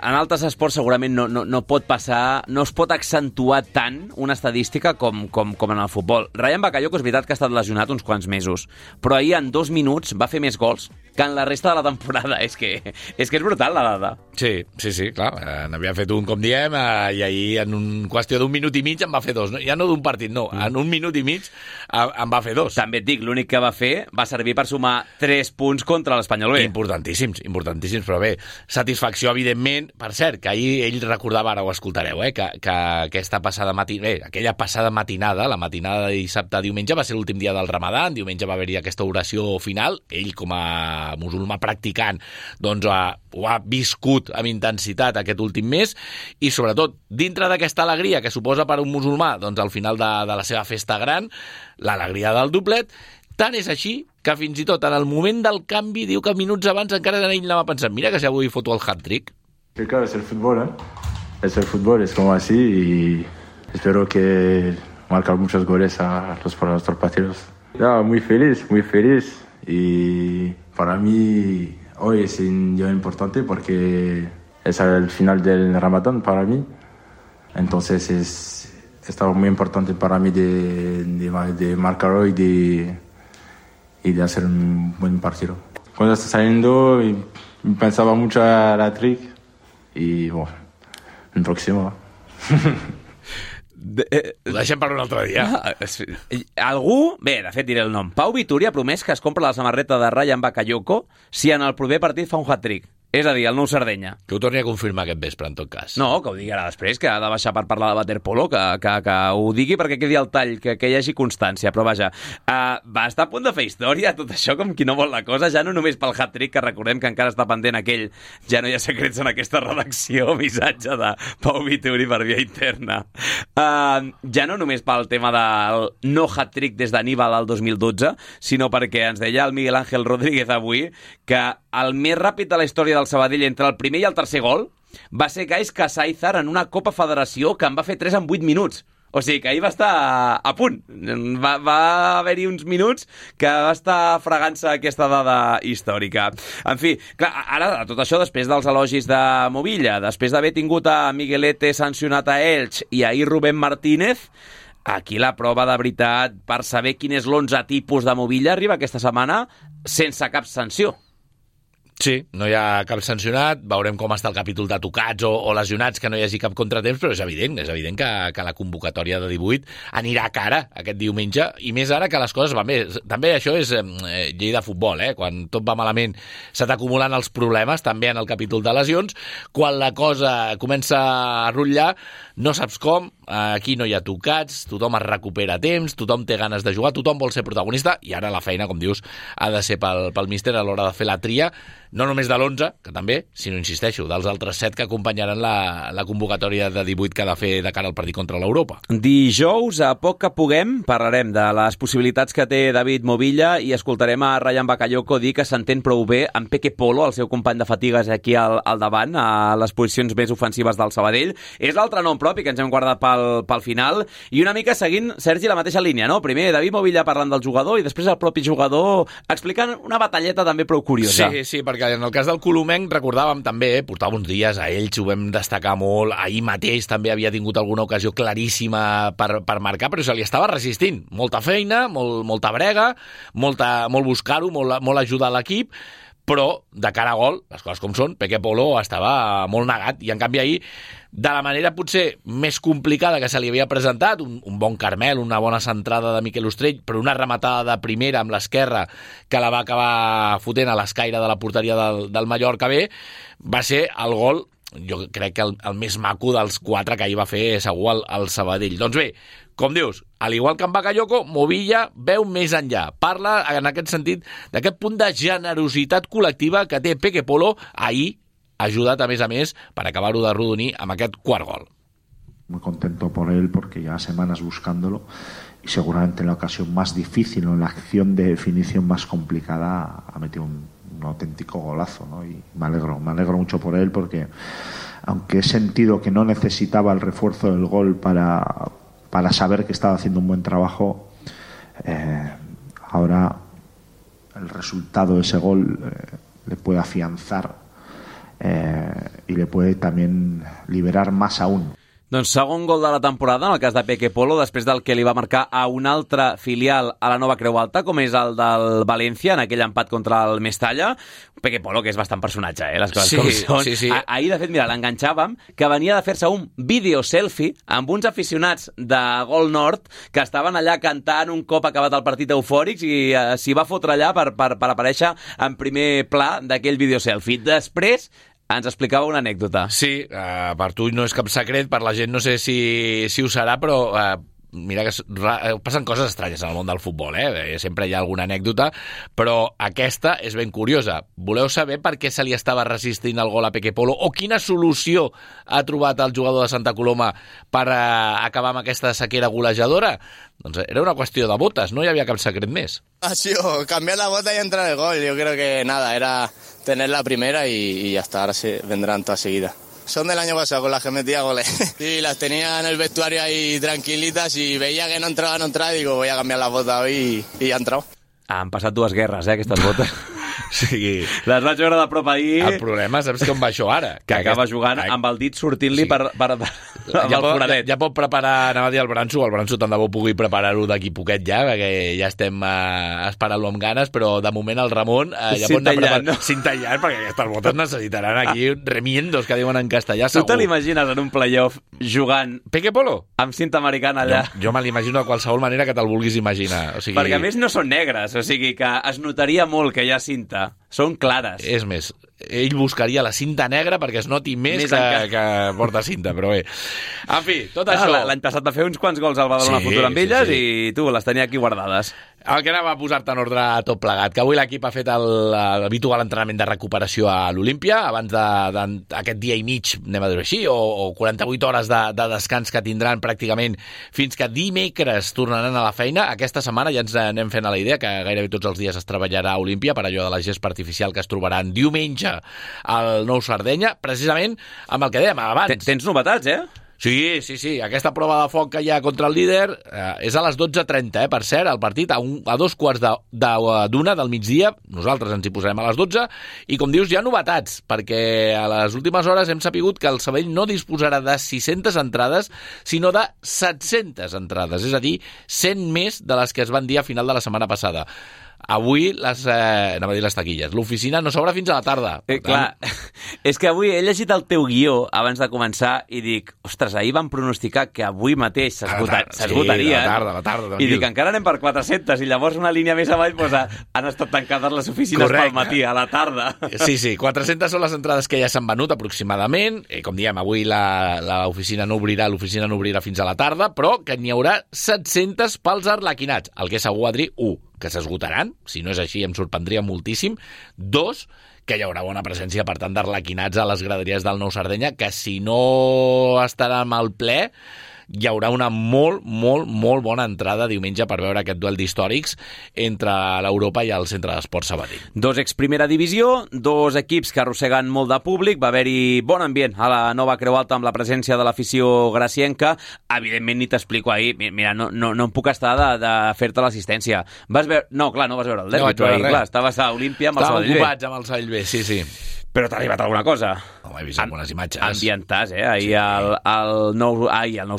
altres esports segurament no pot passar, no es pot accentuar tant una estadística com en el futbol. Rayan Bakayoko és veritat que ha estat lesionat uns quants mesos, però ahir en 2 minuts va fer més gols que en la resta de la temporada. És que és brutal, la dada. Sí, clar. N'havia fet un, com diem, i ahir en qüestió d'un minut i mig en va fer 2. Ja no d'un partit, no. En un minut i mig en va fer 2. També et dic, l'únic que va fer va servir per sumar 3 punts contra l'Espanyol B. Importantíssims, però bé, satisfacció, evidentment. Per cert, que ahir ell recordava, ara ho escoltareu, que aquesta aquella passada matinada, la matinada de dissabte a diumenge, va ser l'últim dia del Ramadan, diumenge va haver-hi aquesta oració final, ell com a musulmà practicant doncs ho ha viscut amb intensitat aquest últim mes, i sobretot dintre d'aquesta alegria que suposa per un musulmà doncs al final de la seva festa gran, l'alegria del doblet. Tant és així que fins i tot en el moment del canvi diu que minuts abans encara ell anava pensant, mira que si avui foto el hat-trick. Sí, claro, es el fútbol, es el fútbol, es como así, y espero que marcar muchos goles a nuestros partidos. No, muy feliz, y para mí hoy es un día importante porque es el final del Ramadán para mí, entonces está muy importante para mí de marcar hoy y de hacer un buen partido. Cuando está saliendo pensaba mucho a la trick y bueno, el próximo. Ho deixem per un altre dia. Algú, bé, de fet diré el nom, Pau Vituri ha promès que es compra la samarreta de Rayan Bakayoko si en el proper partit fa un hat-trick. És a dir, el nou Sardenya. Que ho torni a confirmar aquest vespre, en tot cas. No, que ho digui ara després, que ha de baixar per parlar de waterpolo, que ho digui perquè quedi el tall, que hi hagi constància. Però vaja, va estar a punt de fer història, tot això com qui no vol la cosa, ja no només pel hat-trick, que recordem que encara està pendent aquell, ja no hi ha secrets en aquesta redacció, missatge de Pau Vituri per via interna. Ja no només pel tema del no hat-trick des d'Aníbal al 2012, sinó perquè ens deia el Miguel Ángel Rodríguez avui que el més ràpid de la història del Sabadell entre el primer i el tercer gol va ser Gais Casáizar en una Copa Federació que en va fer 3 en 8 minuts. O sigui que ahir va estar a punt. Va haver-hi uns minuts que va estar fregant-se aquesta dada històrica. En fi, clar, ara tot això després dels elogis de Movilla, després d'haver tingut a Miguelete sancionat a Elx i ahir Rubén Martínez, aquí la prova de veritat per saber quin és l'11 tipus de Movilla arriba aquesta setmana sense cap sanció. Sí, no hi ha cap sancionat, veurem com està el capítol de tocats o lesionats, que no hi hagi cap contratemps, però és evident que la convocatòria de 18 anirà a cara aquest diumenge, i més ara que les coses van bé. També això és llei de futbol, quan tot va malament se t'acumulen els problemes, també en el capítol de lesions, quan la cosa comença a rotllar, no saps com, aquí no hi ha tocats, tothom es recupera a temps, tothom té ganes de jugar, tothom vol ser protagonista, i ara la feina, com dius, ha de ser pel míster a l'hora de fer la tria, no només de l'11, que també, sinó, insisteixo, dels altres 7 que acompanyaran la convocatòria de 18 que ha de fer de cara al partit contra l'Europa. Dijous, a poc que puguem, parlarem de les possibilitats que té David Movilla i escoltarem a Rayan Bakayoko dir que s'entén prou bé amb Peque Polo, el seu company de fatigues aquí al davant, a les posicions més ofensives del Sabadell. És l'altre nom propi que ens hem guardat pel final, i una mica seguint, Sergi, la mateixa línia, no? Primer David Movilla parlant del jugador i després el propi jugador explicant una batalleta també prou curiosa. Sí, perquè en el cas del colomenc recordàvem també, portava uns dies a Elx, ho vam destacar molt, ahir mateix també havia tingut alguna ocasió claríssima per marcar, però se li estava resistint. Molta feina, molta brega, molt buscar-ho, molt ajudar a l'equip, però de cara a gol, les coses com són, Peque Polo estava molt negat, i en canvi ahir, de la manera potser més complicada que se li havia presentat, un bon Carmel, una bona centrada de Miquel Ostrell, però una rematada de primera amb l'esquerra que la va acabar fotent a l'escaire de la porteria del Mallorca B, va ser el gol, jo crec que el més maco dels 4 que ahir va fer segur el Sabadell. Doncs bé, com dius, al igual que en Bakayoko, Movilla veu més enllà. Parla, en aquest sentit, d'aquest punt de generositat col·lectiva que té Peque Polo ahir, ajudat a més, per acabar-ho de rodonir amb aquest quart gol. Muy contento por él porque lleva semanas buscándolo y seguramente en la ocasión más difícil o en la acción de definición más complicada ha metido un auténtico golazo, ¿no? Y me alegro mucho por él porque aunque he sentido que no necesitaba el refuerzo del gol para saber que estaba haciendo un buen trabajo, ahora el resultado de ese gol le puede afianzar y le puede también liberar más aún. Doncs segon gol de la temporada, en el cas de Peque Polo, després del que li va marcar a un altre filial a la Nova Creu Alta, com és el del València, en aquell empat contra el Mestalla. Peque Polo, que és bastant personatge, les coses com són. Sí. Ahir, de fet, mira, l'enganxàvem, que venia de fer-se un video-selfie amb uns aficionats de Gol Nord que estaven allà cantant un cop acabat el partit eufòrics i s'hi va fotre allà per aparèixer en primer pla d'aquell video-selfie. Després ens explicava una anècdota. Sí, per tu no és cap secret, per la gent no sé si ho serà, però mira que passen coses estranyes en el món del futbol, sempre hi ha alguna anècdota, però aquesta és ben curiosa. Voleu saber per què se li estava resistint el gol a Peque Polo o quina solució ha trobat el jugador de Santa Coloma per acabar amb aquesta sequera golejadora? Doncs era una qüestió de botes, no hi havia cap secret més. Ha sido cambiar la bota y entrar el gol. Yo creo que nada, era tener la primera y ya está, ahora se vendrán todas seguidas. Son del año pasado, con las que metía goles. Sí, las tenía en el vestuario ahí tranquilitas y veía que no entraba, y digo, voy a cambiar la bota hoy y ha entrado. Han passat dues guerres, aquestes botes. Sí. Les vaig veure de prop ahir. El problema, saps com va això ara? Que acaba jugant amb el dit sortint-li per el foradet. Ja pot preparar, anava a dir el Branso tant de bo pugui preparar-ho d'aquí poquet ja, perquè ja estem esperant-lo amb ganes, però de moment el Ramon ja pot anar preparant. Cintellant, perquè aquestes botes necessitaran aquí remiendos, que diuen en castellà, segur. Tu te l'imagines en un playoff jugant Peque Polo? Amb cinta americana allà? Jo me l'imagino de qualsevol manera que te'l vulguis imaginar. O sigui... Perquè a més no són negres, o sigui que es notaria molt que hi ha cinta. Són clares. És més, ell buscaria la cinta negra perquè es noti més que porta cinta, però bé. En fi, tot això... L'any passat va fer uns quants gols al Badalona Futur amb elles i tu les tenia aquí guardades. El que anava a posar-te en ordre tot plegat, que avui l'equip ha fet l'habitual entrenament de recuperació a l'Olímpia, abans d'aquest dia i mig, anem a dir-ho així, o 48 hores de descans que tindran pràcticament fins que dimecres tornaran a la feina. Aquesta setmana ja ens anem fent a la idea que gairebé tots els dies es treballarà a Olímpia per allò de la gespa artificial que es trobaran diumenge al Nou Sardenya, precisament amb el que dèiem abans. Tens novetats, Sí. Aquesta prova de foc que hi ha contra el líder és a les 12:30, per cert, el partit a 2:15 del migdia. Nosaltres ens hi posarem a les 12 i, com dius, hi ha novetats, perquè a les últimes hores hem sapigut que el Sabadell no disposarà de 600 entrades, sinó de 700 entrades, és a dir, 100 més de les que es van dir a final de la setmana passada. Avui anava a dir les taquilles. L'oficina no s'obre fins a la tarda. Clar, és que avui he llegit el teu guió abans de començar i dic, ostres, ahir vam pronosticar que avui mateix s'esgotarien. Sí, la tarda. I dic, encara anem per 400 i llavors una línia més avall han estat tancades les oficines pel matí, a la tarda. Sí, 400 són les entrades que ja s'han venut aproximadament. Com diem, avui l'oficina no obrirà fins a la tarda, però que n'hi haurà 700 pels arlequinats. El que és segur, Adri, 1, que s'esgotaran, si no és així em sorprendria moltíssim. 2, que hi haurà bona presència, per tant, d'arlequinats a les graderies del Nou Sardenya, que si no estarà amb el ple, hi haurà una molt bona entrada diumenge per veure aquest duel d'històrics entre l'Europa i el Centre d'Esports Sabadell. 2 ex-primera divisió, 2 equips que arrosseguen molt de públic, va haver-hi bon ambient a la Nova Creu Alta amb la presència de l'afició gracienca. Evidentment, ni t'explico ahir, mira, no em puc estar de fer-te l'assistència. No vas veure el derbi, però clar, estaves a Olímpia amb el Sabadell B. Estaven ocupats amb el Sabadell B, sí. Però t'ha arribat alguna cosa? He vist algunes imatges. Ambientàs, ahir al Nou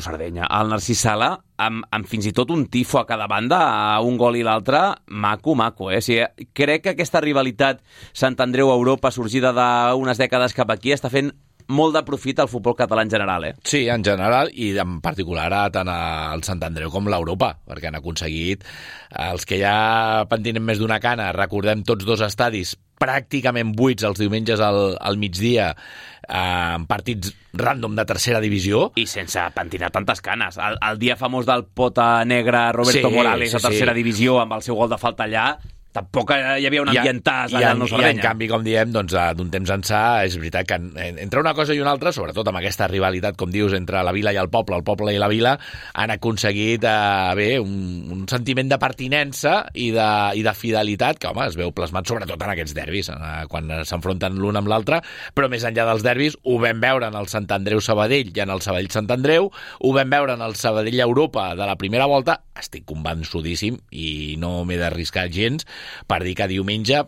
Sardenya, al Narcís Sala, amb fins i tot un tifo a cada banda, a un gol i l'altre, maco. O sigui, crec que aquesta rivalitat Sant Andreu-Europa sorgida d'unes dècades cap aquí està fent molt de profit al futbol català en general, Sí, en general, i en particular tant el Sant Andreu com l'Europa, perquè han aconseguit els que ja pentinen més d'una cana. Recordem tots 2 estadis pràcticament buits els diumenges al migdia, en partits random de tercera divisió. I sense pentinar tantes canes. El dia famós del pota negra Roberto Morales a tercera divisió amb el seu gol de falta allà, tampoc hi havia un ambientàs allà al Nou Sardenya. I en canvi, com diem, doncs, d'un temps ençà, és veritat que entre una cosa i una altra, sobretot amb aquesta rivalitat, com dius, entre la vila i el poble i la vila, han aconseguit un sentiment de pertinença i de fidelitat que, home, es veu plasmat sobretot en aquests derbis, quan s'enfronten l'un amb l'altre, però més enllà dels derbis, ho vam veure en el Sant Andreu-Sabadell i en el Sabadell-Sant Andreu, ho vam veure en el Sabadell-Europa de la primera volta, estic convençudíssim i no m'he d'arriscar gens, per dir que diumenge,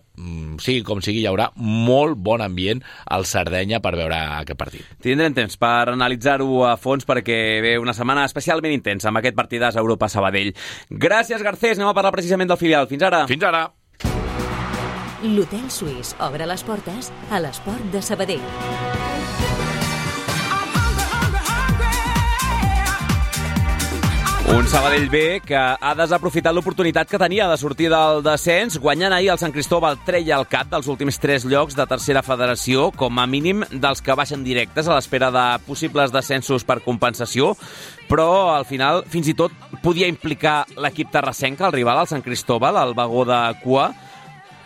sigui com sigui, hi haurà molt bon ambient al Sardenya per veure aquest partit. Tindrem temps per analitzar-ho a fons perquè ve una setmana especialment intensa amb aquest partidàs a Europa-Sabadell. Gràcies, Garcés. Anem a parlar precisament del filial. Fins ara. Fins ara. L'Hotel Suís obre les portes a l'Esport de Sabadell. Un Sabadell B que ha desaprofitat l'oportunitat que tenia de sortir del descens, guanyant ahir el Sant Cristóbal treia el cap dels últims 3 llocs de tercera federació, com a mínim dels que baixen directes a l'espera de possibles descensos per compensació, però al final fins i tot podia implicar l'equip terrassenc, el rival, el Sant Cristóbal, el vagó de cua.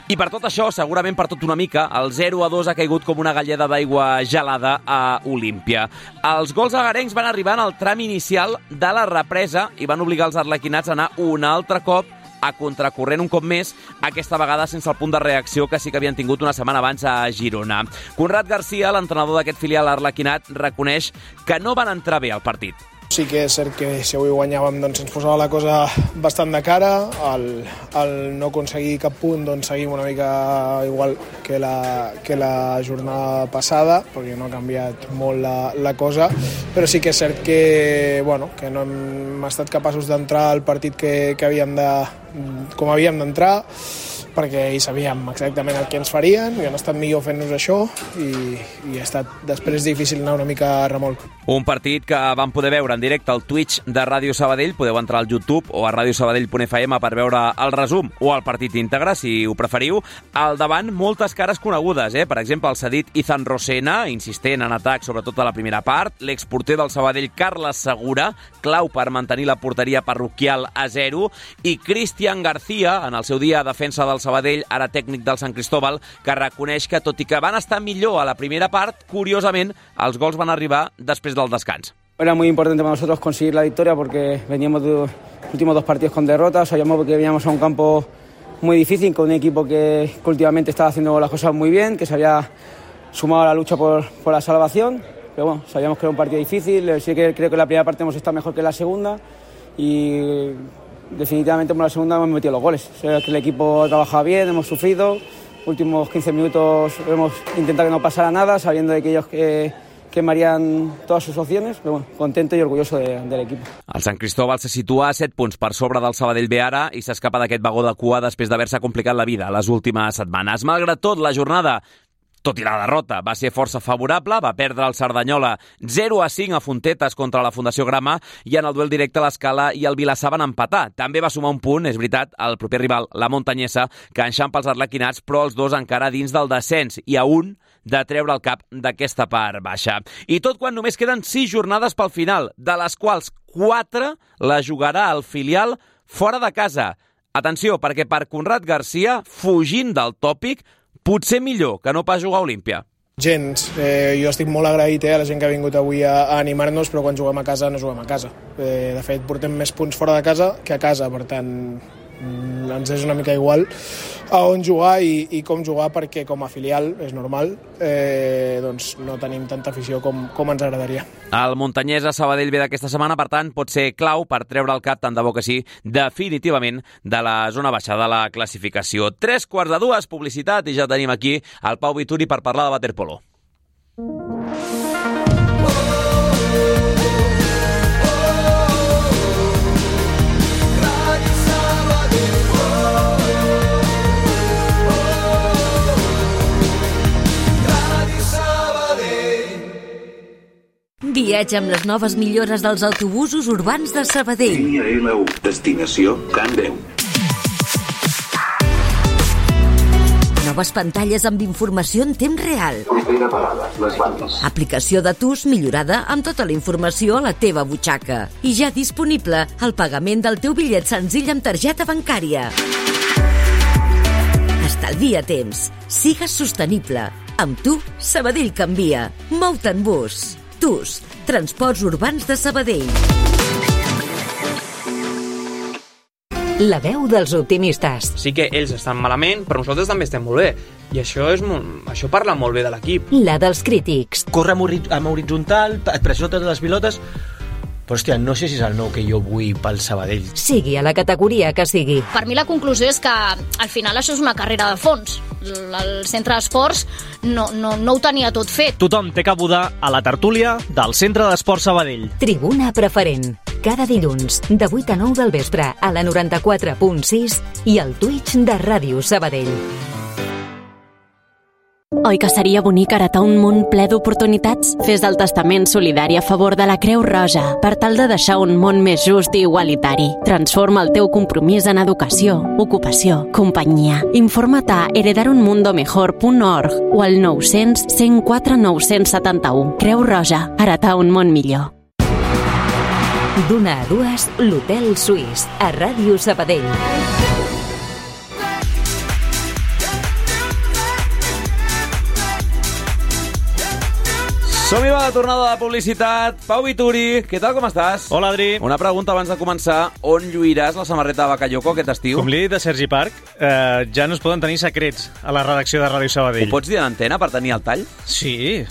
I per tot això, segurament per tot una mica, el 0-2 ha caigut com una galleda d'aigua gelada a Olímpia. Els gols agarencs van arribar en el tram inicial de la represa i van obligar els arlequinats a anar un altre cop a contracorrent un cop més, aquesta vegada sense el punt de reacció que sí que havien tingut una setmana abans a Girona. Conrad Garcia, l'entrenador d'aquest filial arlequinat, reconeix que no van entrar bé al partit. Sí que és cert que si avui guanyàvem doncs ens posava la cosa bastant de cara, el no aconseguir cap punt doncs seguim una mica igual que la jornada passada, perquè no ha canviat molt la cosa, però sí que és cert que, que no hem estat capaços d'entrar al partit com havíem d'entrar, perquè hi sabíem exactament el que ens farien i han estat millor fent-nos això i ha estat després difícil anar una mica a remolc. Un partit que vam poder veure en directe al Twitch de Ràdio Sabadell, podeu entrar al YouTube o a radiosabadell.fm per veure el resum o el partit íntegre, si ho preferiu. Al davant, moltes cares conegudes, per exemple, el cedit Izan Rosena, insistent en atac sobretot a la primera part, l'exporter del Sabadell Carles Segura, clau per mantenir la porteria parroquial a 0, i Cristian García, en el seu dia defensa del Sabadell, ara tècnic del Sant Cristóbal, que reconeix que, tot i que van estar millor a la primera part, curiosament, els gols van arribar després del descans. Era muy importante para nosotros conseguir la victoria porque veníamos de los últimos 2 partidos con derrotas, sabíamos que veníamos a un campo muy difícil, con un equipo que últimamente estaba haciendo las cosas muy bien, que se había sumado a la lucha por la salvación, pero bueno, sabíamos que era un partido difícil, sí que creo que la primera parte hemos estado mejor que la segunda y definitivamente en la segunda hemos metido los goles. O sea, que el equipo ha trabajado bien, hemos sufrido, últimos 15 minutos hemos intentado que no pasara nada, sabiendo de que ellos quemarían todas sus opciones, però bueno, contento i orgulloso de l'equip. El Sant Cristóbal se situa a 7 punts per sobre del Sabadell B ara i s'escapa d'aquest vagó de cua després d'haver-se complicat la vida les últimes setmanes. Malgrat tot, la jornada, tot i la derrota, va ser força favorable, va perdre el Cerdanyola 0-5 a Fontetes contra la Fundació Grama i en el duel directe l'Escala i el Vilassar van empatar. També va sumar un punt, és veritat, el proper rival, la Montanyesa, que enxampa els arlequinats, però els dos encara dins del descens i a un de treure el cap d'aquesta part baixa. I tot quan només queden 6 jornades pel final, de les quals 4 la jugarà el filial fora de casa. Atenció, perquè per Conrad Garcia, fugint del tòpic, potser millor que no pas jugar a Olímpia. Gens. Jo estic molt agraït a la gent que ha vingut avui a animar-nos, però quan juguem a casa no juguem a casa. De fet, portem més punts fora de casa que a casa, per tant, ens és una mica igual a on jugar i com jugar, perquè com a filial, és normal, doncs no tenim tanta afició com ens agradaria. El Montanyesa Sabadell B d'aquesta setmana, per tant, pot ser clau per treure el cap, tant de bo que sí, definitivament, de la zona baixa de la classificació. 3:45, publicitat, i ja tenim aquí el Pau Vituri per parlar de waterpolo. Viatge amb les noves millores dels autobusos urbans de Sabadell. Línia L1, destinació Can Déu. Noves pantalles amb informació en temps real. Propera parada, les bandes. Aplicació de TUS millorada amb tota la informació a la teva butxaca. I ja disponible el pagament del teu bitllet senzill amb targeta bancària. Estalvia temps. Sigues sostenible. Amb tu, Sabadell canvia. Mou-te en bus. TUS, Transports Urbans de Sabadell. La veu dels optimistes. Sí que ells estan malament, però nosaltres també estem molt bé. I això parla molt bé de l'equip. La dels crítics. Corre amb horitzontal, et pressiona totes les pilotes, però hòstia, no sé si és el nou que jo vull pel Sabadell. Sigui a la categoria que sigui. Per mi la conclusió és que al final això és una carrera de fons. El centre d'esports no ho tenia tot fet. Tothom té cabuda a la tertúlia del Centre d'Esports Sabadell. Tribuna preferent. Cada dilluns, de 8 a 9 del vespre, a la 94.6 i al Twitch de Ràdio Sabadell. Oi que seria bonic heretar un món ple d'oportunitats? Fes el testament solidari a favor de la Creu Roja per tal de deixar un món més just i igualitari. Transforma el teu compromís en educació, ocupació, companyia. Informa't a heredarunmundomejor.org o al 900 104 971. Creu Roja, heretar un món millor. D'una a dues, l'Hotel Suís, a Ràdio Sabadell. Som-hi, va, la tornada de publicitat. Pau Vituri, què tal, com estàs? Hola, Adri. Una pregunta abans de començar. On lluiràs la samarreta de Bakayoko aquest estiu? Com li he dit a Sergi Parc, ja no es poden tenir secrets a la redacció de Ràdio Sabadell. Ho pots dir a l'antena per tenir el tall? Sí.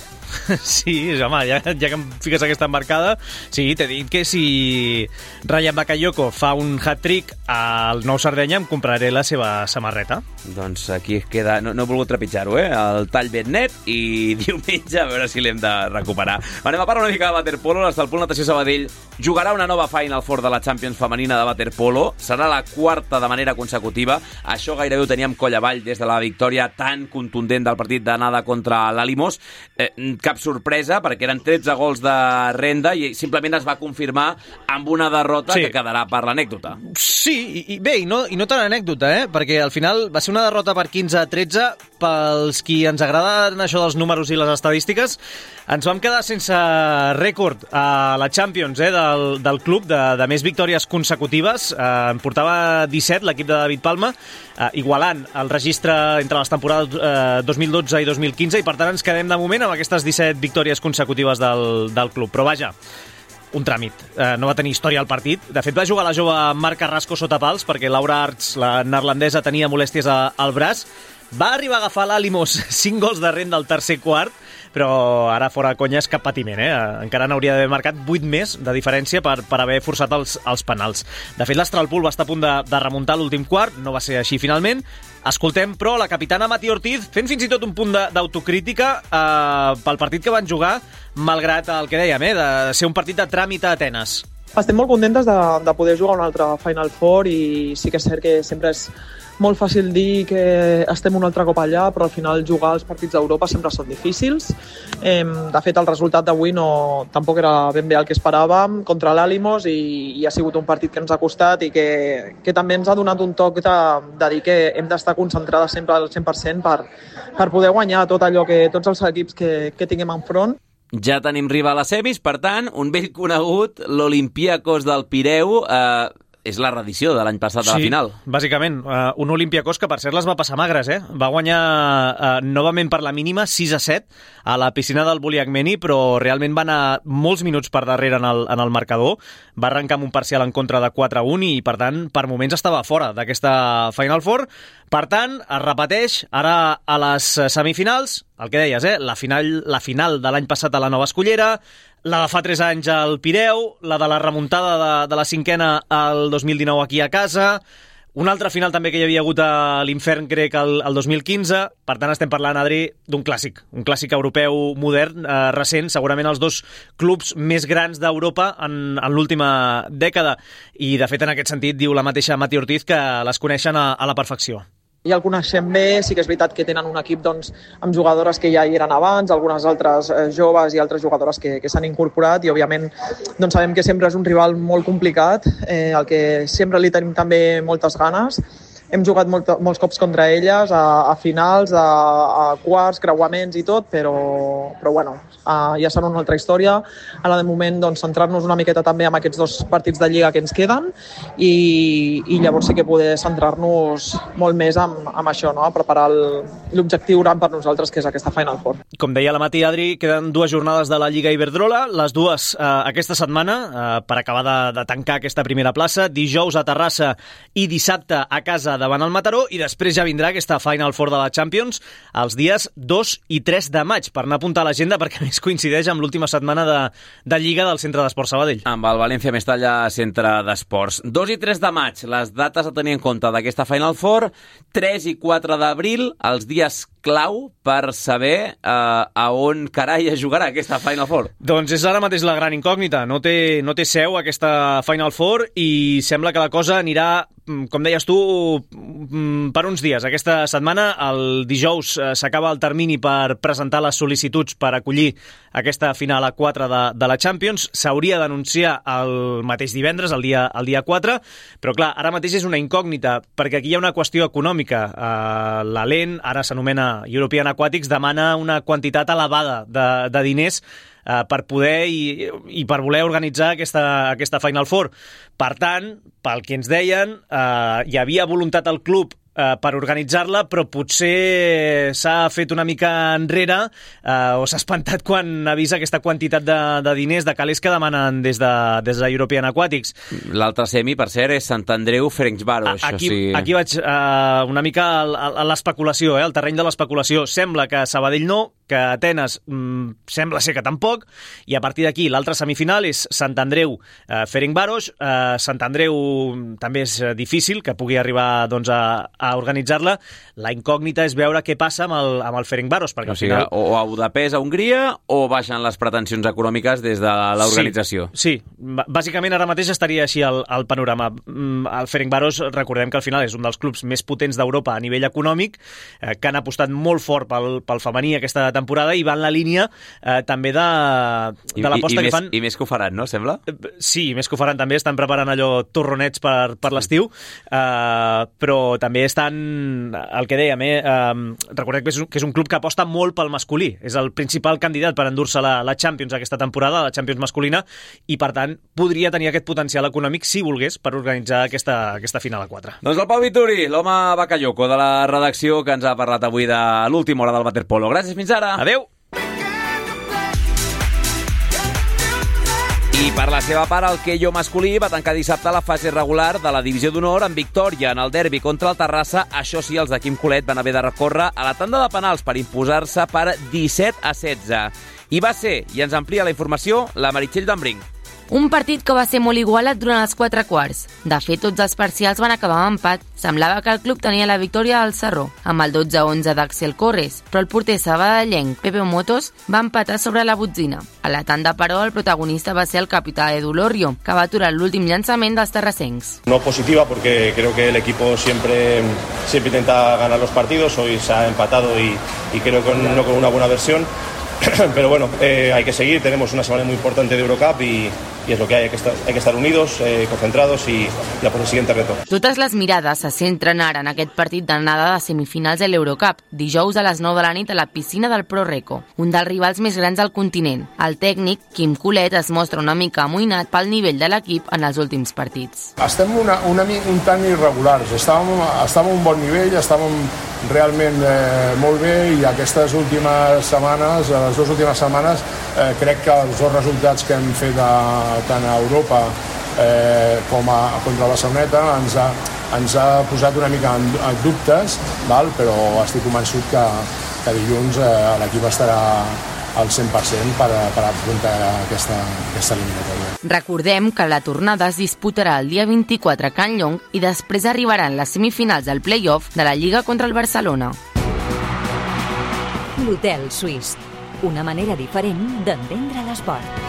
Sí, home, ja que em fiques aquesta embarcada, sí, t'he dit que si Rayan Bakayoko fa un hat-trick al Nou Sardenya em compraré la seva samarreta. Doncs aquí queda, no he volgut trepitjar-ho, el tall ben net, i diumenge a veure si l'hem de recuperar. Anem a parlar una mica de waterpolo. L'Estalpol Natació Sabadell jugarà una nova Final Four de la Champions femenina de waterpolo. Serà la quarta de manera consecutiva. Això gairebé ho teníem coll avall des de la victòria tan contundent del partit d'anada contra l'Alimos. Cap sorpresa, perquè eren 13 gols de renda i simplement es va confirmar amb una derrota que quedarà per l'anècdota. Sí, i bé, i no tan anècdota, perquè al final va ser una derrota per 15-13. Pels qui ens agraden això dels números i les estadístiques, ens vam quedar sense rècord a la Champions del club de més victòries consecutives. En portava 17 l'equip de David Palma, igualant el registre entre les temporades 2012 i 2015, i per tant ens quedem de moment amb aquestes 17 victòries consecutives del club. Però vaja, un tràmit. No va tenir història al partit. De fet, va jugar la jove Marc Carrasco sota pals perquè Laura Arts, la neerlandesa, tenia molèsties al braç. Va arribar a agafar l'Alimos 5 gols de renda al tercer quart, però ara fora conyes cap patiment, encara n'hauria d'haver marcat 8 més de diferència per haver forçat els penals. De fet, l'Estralpol va estar a punt de remuntar l'últim quart, no va ser així finalment. Escoltem, però, la capitana Mati Ortiz fent fins i tot un punt d'autocrítica pel partit que van jugar, malgrat el que dèiem, de ser un partit de tràmit a Atenes. Estem molt contentes de poder jugar un altre Final Four, i sí que és cert que sempre és molt fàcil dir que estem un altre cop allà, però al final jugar els partits d'Europa sempre són difícils. De fet, el resultat d'avui tampoc era ben bé el que esperàvem contra l'Alimos, i ha sigut un partit que ens ha costat i que també ens ha donat un toc de dir que hem d'estar concentrades sempre al 100% per poder guanyar tots els equips que tinguem enfront. Ja tenim rival a semis, per tant, un vell conegut, l'Olympiakos del Pireu, és la reedició de l'any passat de la final. Sí, bàsicament. Un Olympiakos que, per cert, les va passar magres, Va guanyar novament per la mínima 6-7 a la piscina del Buliakmeni, però realment va anar molts minuts per darrere en el marcador. Va arrencar amb un parcial en contra de 4-1 i, per tant, per moments estava fora d'aquesta Final Four. Per tant, es repeteix ara a les semifinals, el que deies, la final de l'any passat a la Nova Escollera, la de fa 3 anys al Pireu, la de la remuntada de la cinquena al 2019 aquí a casa, una altra final també que hi havia hagut a l'Infern grec el 2015. Per tant, estem parlant, Adri, d'un clàssic, un clàssic europeu modern, recent, segurament els dos clubs més grans d'Europa en l'última dècada. I, de fet, en aquest sentit, diu la mateixa Mati Ortiz que les coneixen a la perfecció. Ja el coneixem bé, sí que és veritat que tenen un equip amb jugadores que ja hi eren abans, algunes altres joves i altres jugadores que s'han incorporat, i òbviament sabem que sempre és un rival molt complicat, al que sempre li tenim també moltes ganes. Hem jugat molts cops contra elles, a finals, a quarts, creuaments i tot, però bueno, ja serà una altra història. Ara, de moment, centrar-nos una miqueta també en aquests 2 partits de Lliga que ens queden, i llavors sí que poder centrar-nos molt més amb això, a preparar l'objectiu gran per nosaltres, que és aquesta Final Four. Com deia la Mati, Adri, queden 2 jornades de la Lliga Iberdrola, les 2 aquesta setmana, per acabar de tancar aquesta primera plaça, dijous a Terrassa i dissabte a casa davant el Mataró, i després ja vindrà aquesta Final Four de la Champions els dies 2 i 3 de maig, per anar a apuntar a l'agenda, perquè a més coincideix amb l'última setmana de Lliga del Centre d'Esports Sabadell. Amb el València Mestalla Centre d'Esports. 2 i 3 de maig, les dates a tenir en compte d'aquesta Final Four. 3 i 4 d'abril, els dies clau per saber a on carai es jugarà aquesta Final Four. Doncs és ara mateix la gran incògnita. No té seu aquesta Final Four i sembla que la cosa anirà, com deies tu, per uns dies. Aquesta setmana, el dijous, s'acaba el termini per presentar les sol·licituds per acollir aquesta final a 4 de la Champions. S'hauria d'anunciar el mateix divendres, el dia 4, però clar, ara mateix és una incògnita, perquè aquí hi ha una qüestió econòmica. L'ALEN, ara s'anomena European Aquatics, demana una quantitat elevada de diners per poder i per voler organitzar aquesta Final Four. Per tant, pel que ens deien, hi havia voluntat al club per organitzar-la, però potser s'ha fet una mica enrere o s'ha espantat quan ha vist aquesta quantitat de diners, de calés que demanen des de European Aquatics. L'altre semi, per cert, és Sant Andreu Ferencváros. Aquí vaig una mica a l'especulació, al terreny de l'especulació. Sembla que Sabadell no, que Atenes sembla ser que tampoc, i a partir d'aquí l'altra semifinal és Sant Andreu Ferencváros. Sant Andreu també és difícil que pugui arribar doncs, a organitzar-la. La incògnita és veure què passa amb el Ferencváros, perquè al final... O a Budapest, a Hongria, o baixen les pretensions econòmiques des de l'organització? Sí, bàsicament ara mateix estaria així el panorama. El Ferencváros, recordem que al final és un dels clubs més potents d'Europa a nivell econòmic, que han apostat molt fort pel femení aquesta temporada i va en la línia també de l'aposta que fan... I més que ho faran, no, sembla? Sí, més que ho faran també, estan preparant allò torronets per l'estiu, però també estan, el que dèiem, recordem que és un club que aposta molt pel masculí, és el principal candidat per endur-se la Champions aquesta temporada, la Champions masculina, i per tant podria tenir aquest potencial econòmic si volgués per organitzar aquesta final a 4. Doncs el Pau Vituri, l'home bacalloco de la redacció, que ens ha parlat avui de l'última hora del waterpolo. Gràcies, fins ara. Adéu. I per la seva part, el Queio masculí va tancar dissabte la fase regular de la divisió d'honor amb victòria en el derbi contra el Terrassa. Això sí, els de Quim Colet van haver de recórrer a la tanda de penals per imposar-se per 17-16. I va ser, i ens amplia la informació, la Meritxell d'Embrinc. Un partit que va ser molt igualat durant els 4 quarts. De fet, tots els parcials van acabar amb empat. Semblava que el club tenia la victòria al Sarró, amb el 12-11 d'Axel Corres, però el porter sabadellenc Pepe Motos va empatar sobre la botzina. A la tanda, però, el protagonista va ser el capità Edu Lorrio, que va aturar l'últim llançament dels terrassencs. No positiva, porque creo que el equipo siempre intenta ganar los partidos. Hoy se ha empatado y creo que no con una buena versión. Pero bueno, hay que seguir, tenemos una semana muy importante de Eurocup y es lo que hay que estar unidos, concentrados y a por el siguiente reto. Totes les mirades se centren ara en aquest partit d'anada de semifinals de l'Eurocup, dijous a les 9 de la nit a la piscina del ProReco, un dels rivals més grans del continent. El tècnic, Quim Colet, es mostra una mica amoïnat pel nivell de l'equip en els últims partits. Estem un tant irregulars, estàvem a un bon nivell, estàvem realment molt bé, i aquestes últimes setmanes, les dues últimes setmanes, crec que els dos resultats que hem fet tant a Europa com contra la Barceloneta ens ha posat una mica en dubtes, però estic convençut que dilluns l'equip estarà al 100% per afrontar aquesta eliminatòria. Recordem que la tornada es disputarà el dia 24 a Can Llong i després arribaran les semifinals del play-off de la Lliga contra el Barcelona. L'Hotel Suís, una manera diferent d'entendre l'esport.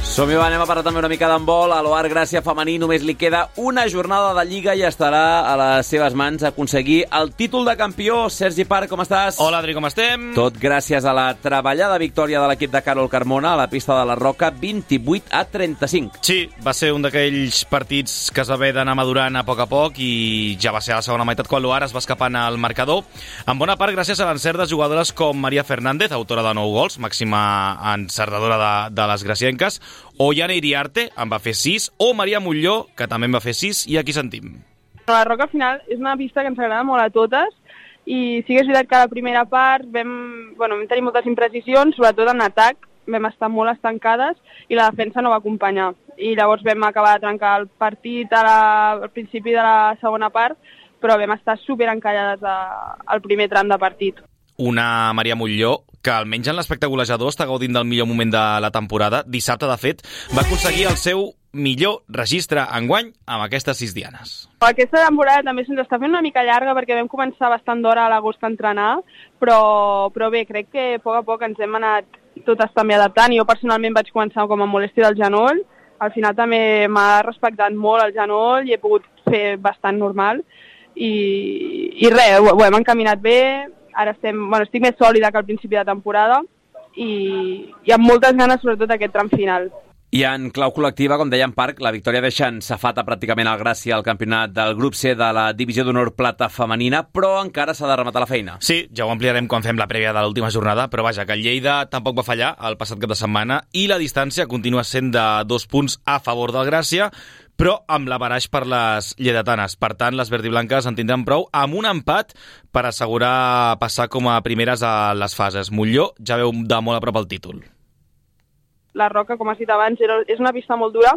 Som-hi, anem a parlar també una mica d'handbol. A l'Oar Gràcia femení només li queda una jornada de Lliga i estarà a les seves mans aconseguir el títol de campió. Sergi Parc, com estàs? Hola, Adri, com estem? Tot gràcies a la treballada victòria de l'equip de Carol Carmona a la pista de la Roca, 28-35. Sí, va ser un d'aquells partits que es va haver d'anar madurant a poc i ja va ser a la segona meitat quan l'Oar es va escapant al marcador, en bona part gràcies a l'encert de jugadores com Maria Fernández, autora de 9 gols, màxima encertadora de les gracienques, o Yana Iriarte, en va fer 6, o Maria Molló, que també en va fer 6, i aquí sentim. La Roca al final és una pista que ens agrada molt a totes, i sí que és veritat que a la primera part vam tenir moltes imprecisions, sobretot en atac. vam estar molt estancades i la defensa no va acompanyar. I llavors vam acabar de trencar el partit al principi de la segona part, però vam estar superencallades al primer tram de partit. Una Maria Montlló que almenys en l'aspecte golejador està gaudint del millor moment de la temporada. Dissabte, de fet, va aconseguir el seu millor registre enguany amb aquestes 6 dianes. Aquesta temporada també se'ns està fent una mica llarga perquè vam començar bastant d'hora a l'agost a entrenar, però bé, crec que a poc ens hem anat totes també adaptant. Jo personalment vaig començar com a molèstia del genoll, al final també m'ha respectat molt el genoll i he pogut fer bastant normal i res, ho hem encaminat bé. Ara estic més sòlida que al principi de temporada i amb moltes ganes, sobretot, aquest tram final. I en clau col·lectiva, com deia en Parc, la victòria deixa en safata pràcticament el Gràcia al campionat del grup C de la Divisió d'Honor Plata femenina, però encara s'ha de rematar la feina. Sí, ja ho ampliarem quan fem la prèvia de l'última jornada, però vaja, que el Lleida tampoc va fallar el passat cap de setmana i la distància continua sent de 2 punts a favor del Gràcia, però amb l'averaix per les lleidatanes. Per tant, les verdiblanques en tindran prou amb un empat per assegurar passar com a primeres a les fases. Montlló ja veu de molt a prop el títol. La Roca, com has dit abans, és una pista molt dura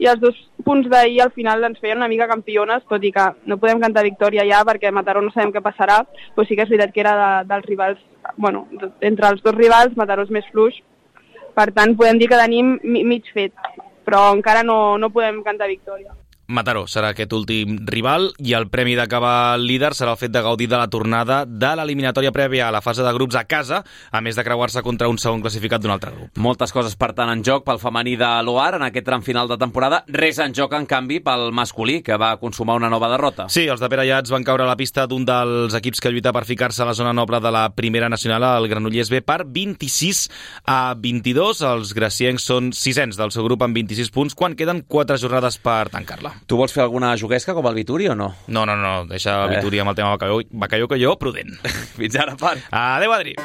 i els 2 punts d'ahir al final ens feien una mica campiones, tot i que no podem cantar victòria ja perquè a Mataró no sabem què passarà, però sí que és veritat que era dels rivals, bueno, entre els 2 rivals, Mataró és més fluix, per tant podem dir que tenim mig fet, però encara no podem cantar victòria. Mataró serà aquest últim rival i el premi d'acabar líder serà el fet de gaudir de la tornada de l'eliminatòria prèvia a la fase de grups a casa, a més de creuar-se contra un segon classificat d'un altre grup. Moltes coses, per tant, en joc pel femení de l'OAR en aquest tram final de temporada. Res en joc, en canvi, pel masculí, que va consumar una nova derrota. Sí, els de Pere Llats van caure a la pista d'un dels equips que lluita per ficar-se a la zona noble de la primera nacional, el Granollers B, per 26-22. Els graciencs són 6ens del seu grup amb 26 punts, quan queden 4 jornades per tancar-la. Tu vols fer alguna juguesca com el Vituri o no? No, deixa el Vituri amb el tema Bacalló que jo, prudent. Fins ara, Parc. Adéu, Adri.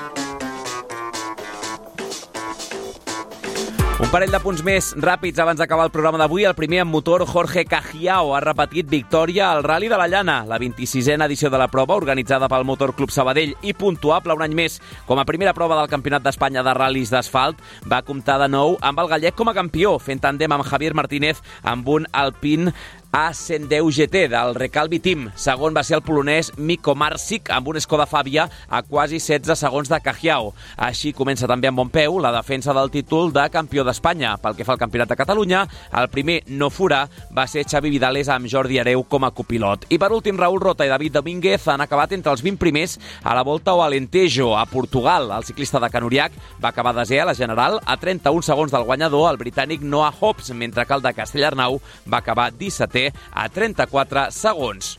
Un parell de punts més ràpids abans d'acabar el programa d'avui. El primer en motor, Jorge Cajiao, ha repetit victòria al Rally de la Llana, la 26a edició de la prova, organitzada pel Motor Club Sabadell i puntuable un any més com a primera prova del Campionat d'Espanya de ral·lis d'asfalt. Va comptar de nou amb el gallec com a campió, fent tàndem amb Javier Martínez amb un Alpine A110 GT del Recalvi Team. Segon va ser el polonès Mikko Marsic amb un Skoda Fabia a quasi 16 segons de Cajiao. Així comença també amb bon peu la defensa del títol de campió d'Espanya. Pel que fa al Campionat de Catalunya, el primer no furà va ser Xavi Vidales amb Jordi Hereu com a copilot. I per últim, Raúl Rota i David Domínguez han acabat entre els 20 primers a la Volta ao Alentejo, a Portugal. El ciclista de Canuriac va acabar desè a la general a 31 segons del guanyador, el britànic Noah Hobbs, mentre que el de Castellarnau va acabar 17è a 34 segons.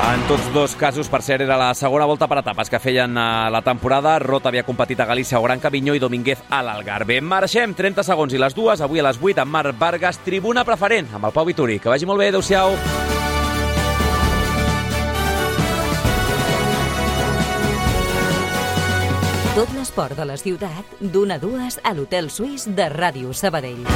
En tots 2 casos, per cert, era la segona volta per etapes que feien la temporada. Rota havia competit a Galícia o Gran Camino i Domínguez a l'Algarve. Marxem, 30 segons i les 2, avui a les 8 amb Marc Vargas, tribuna preferent amb el Pau Vituri. Que vagi molt bé, adeu-siau. Tot l'esport de la ciutat, d'1 a 2 a l'Hotel Suís de Ràdio Sabadell.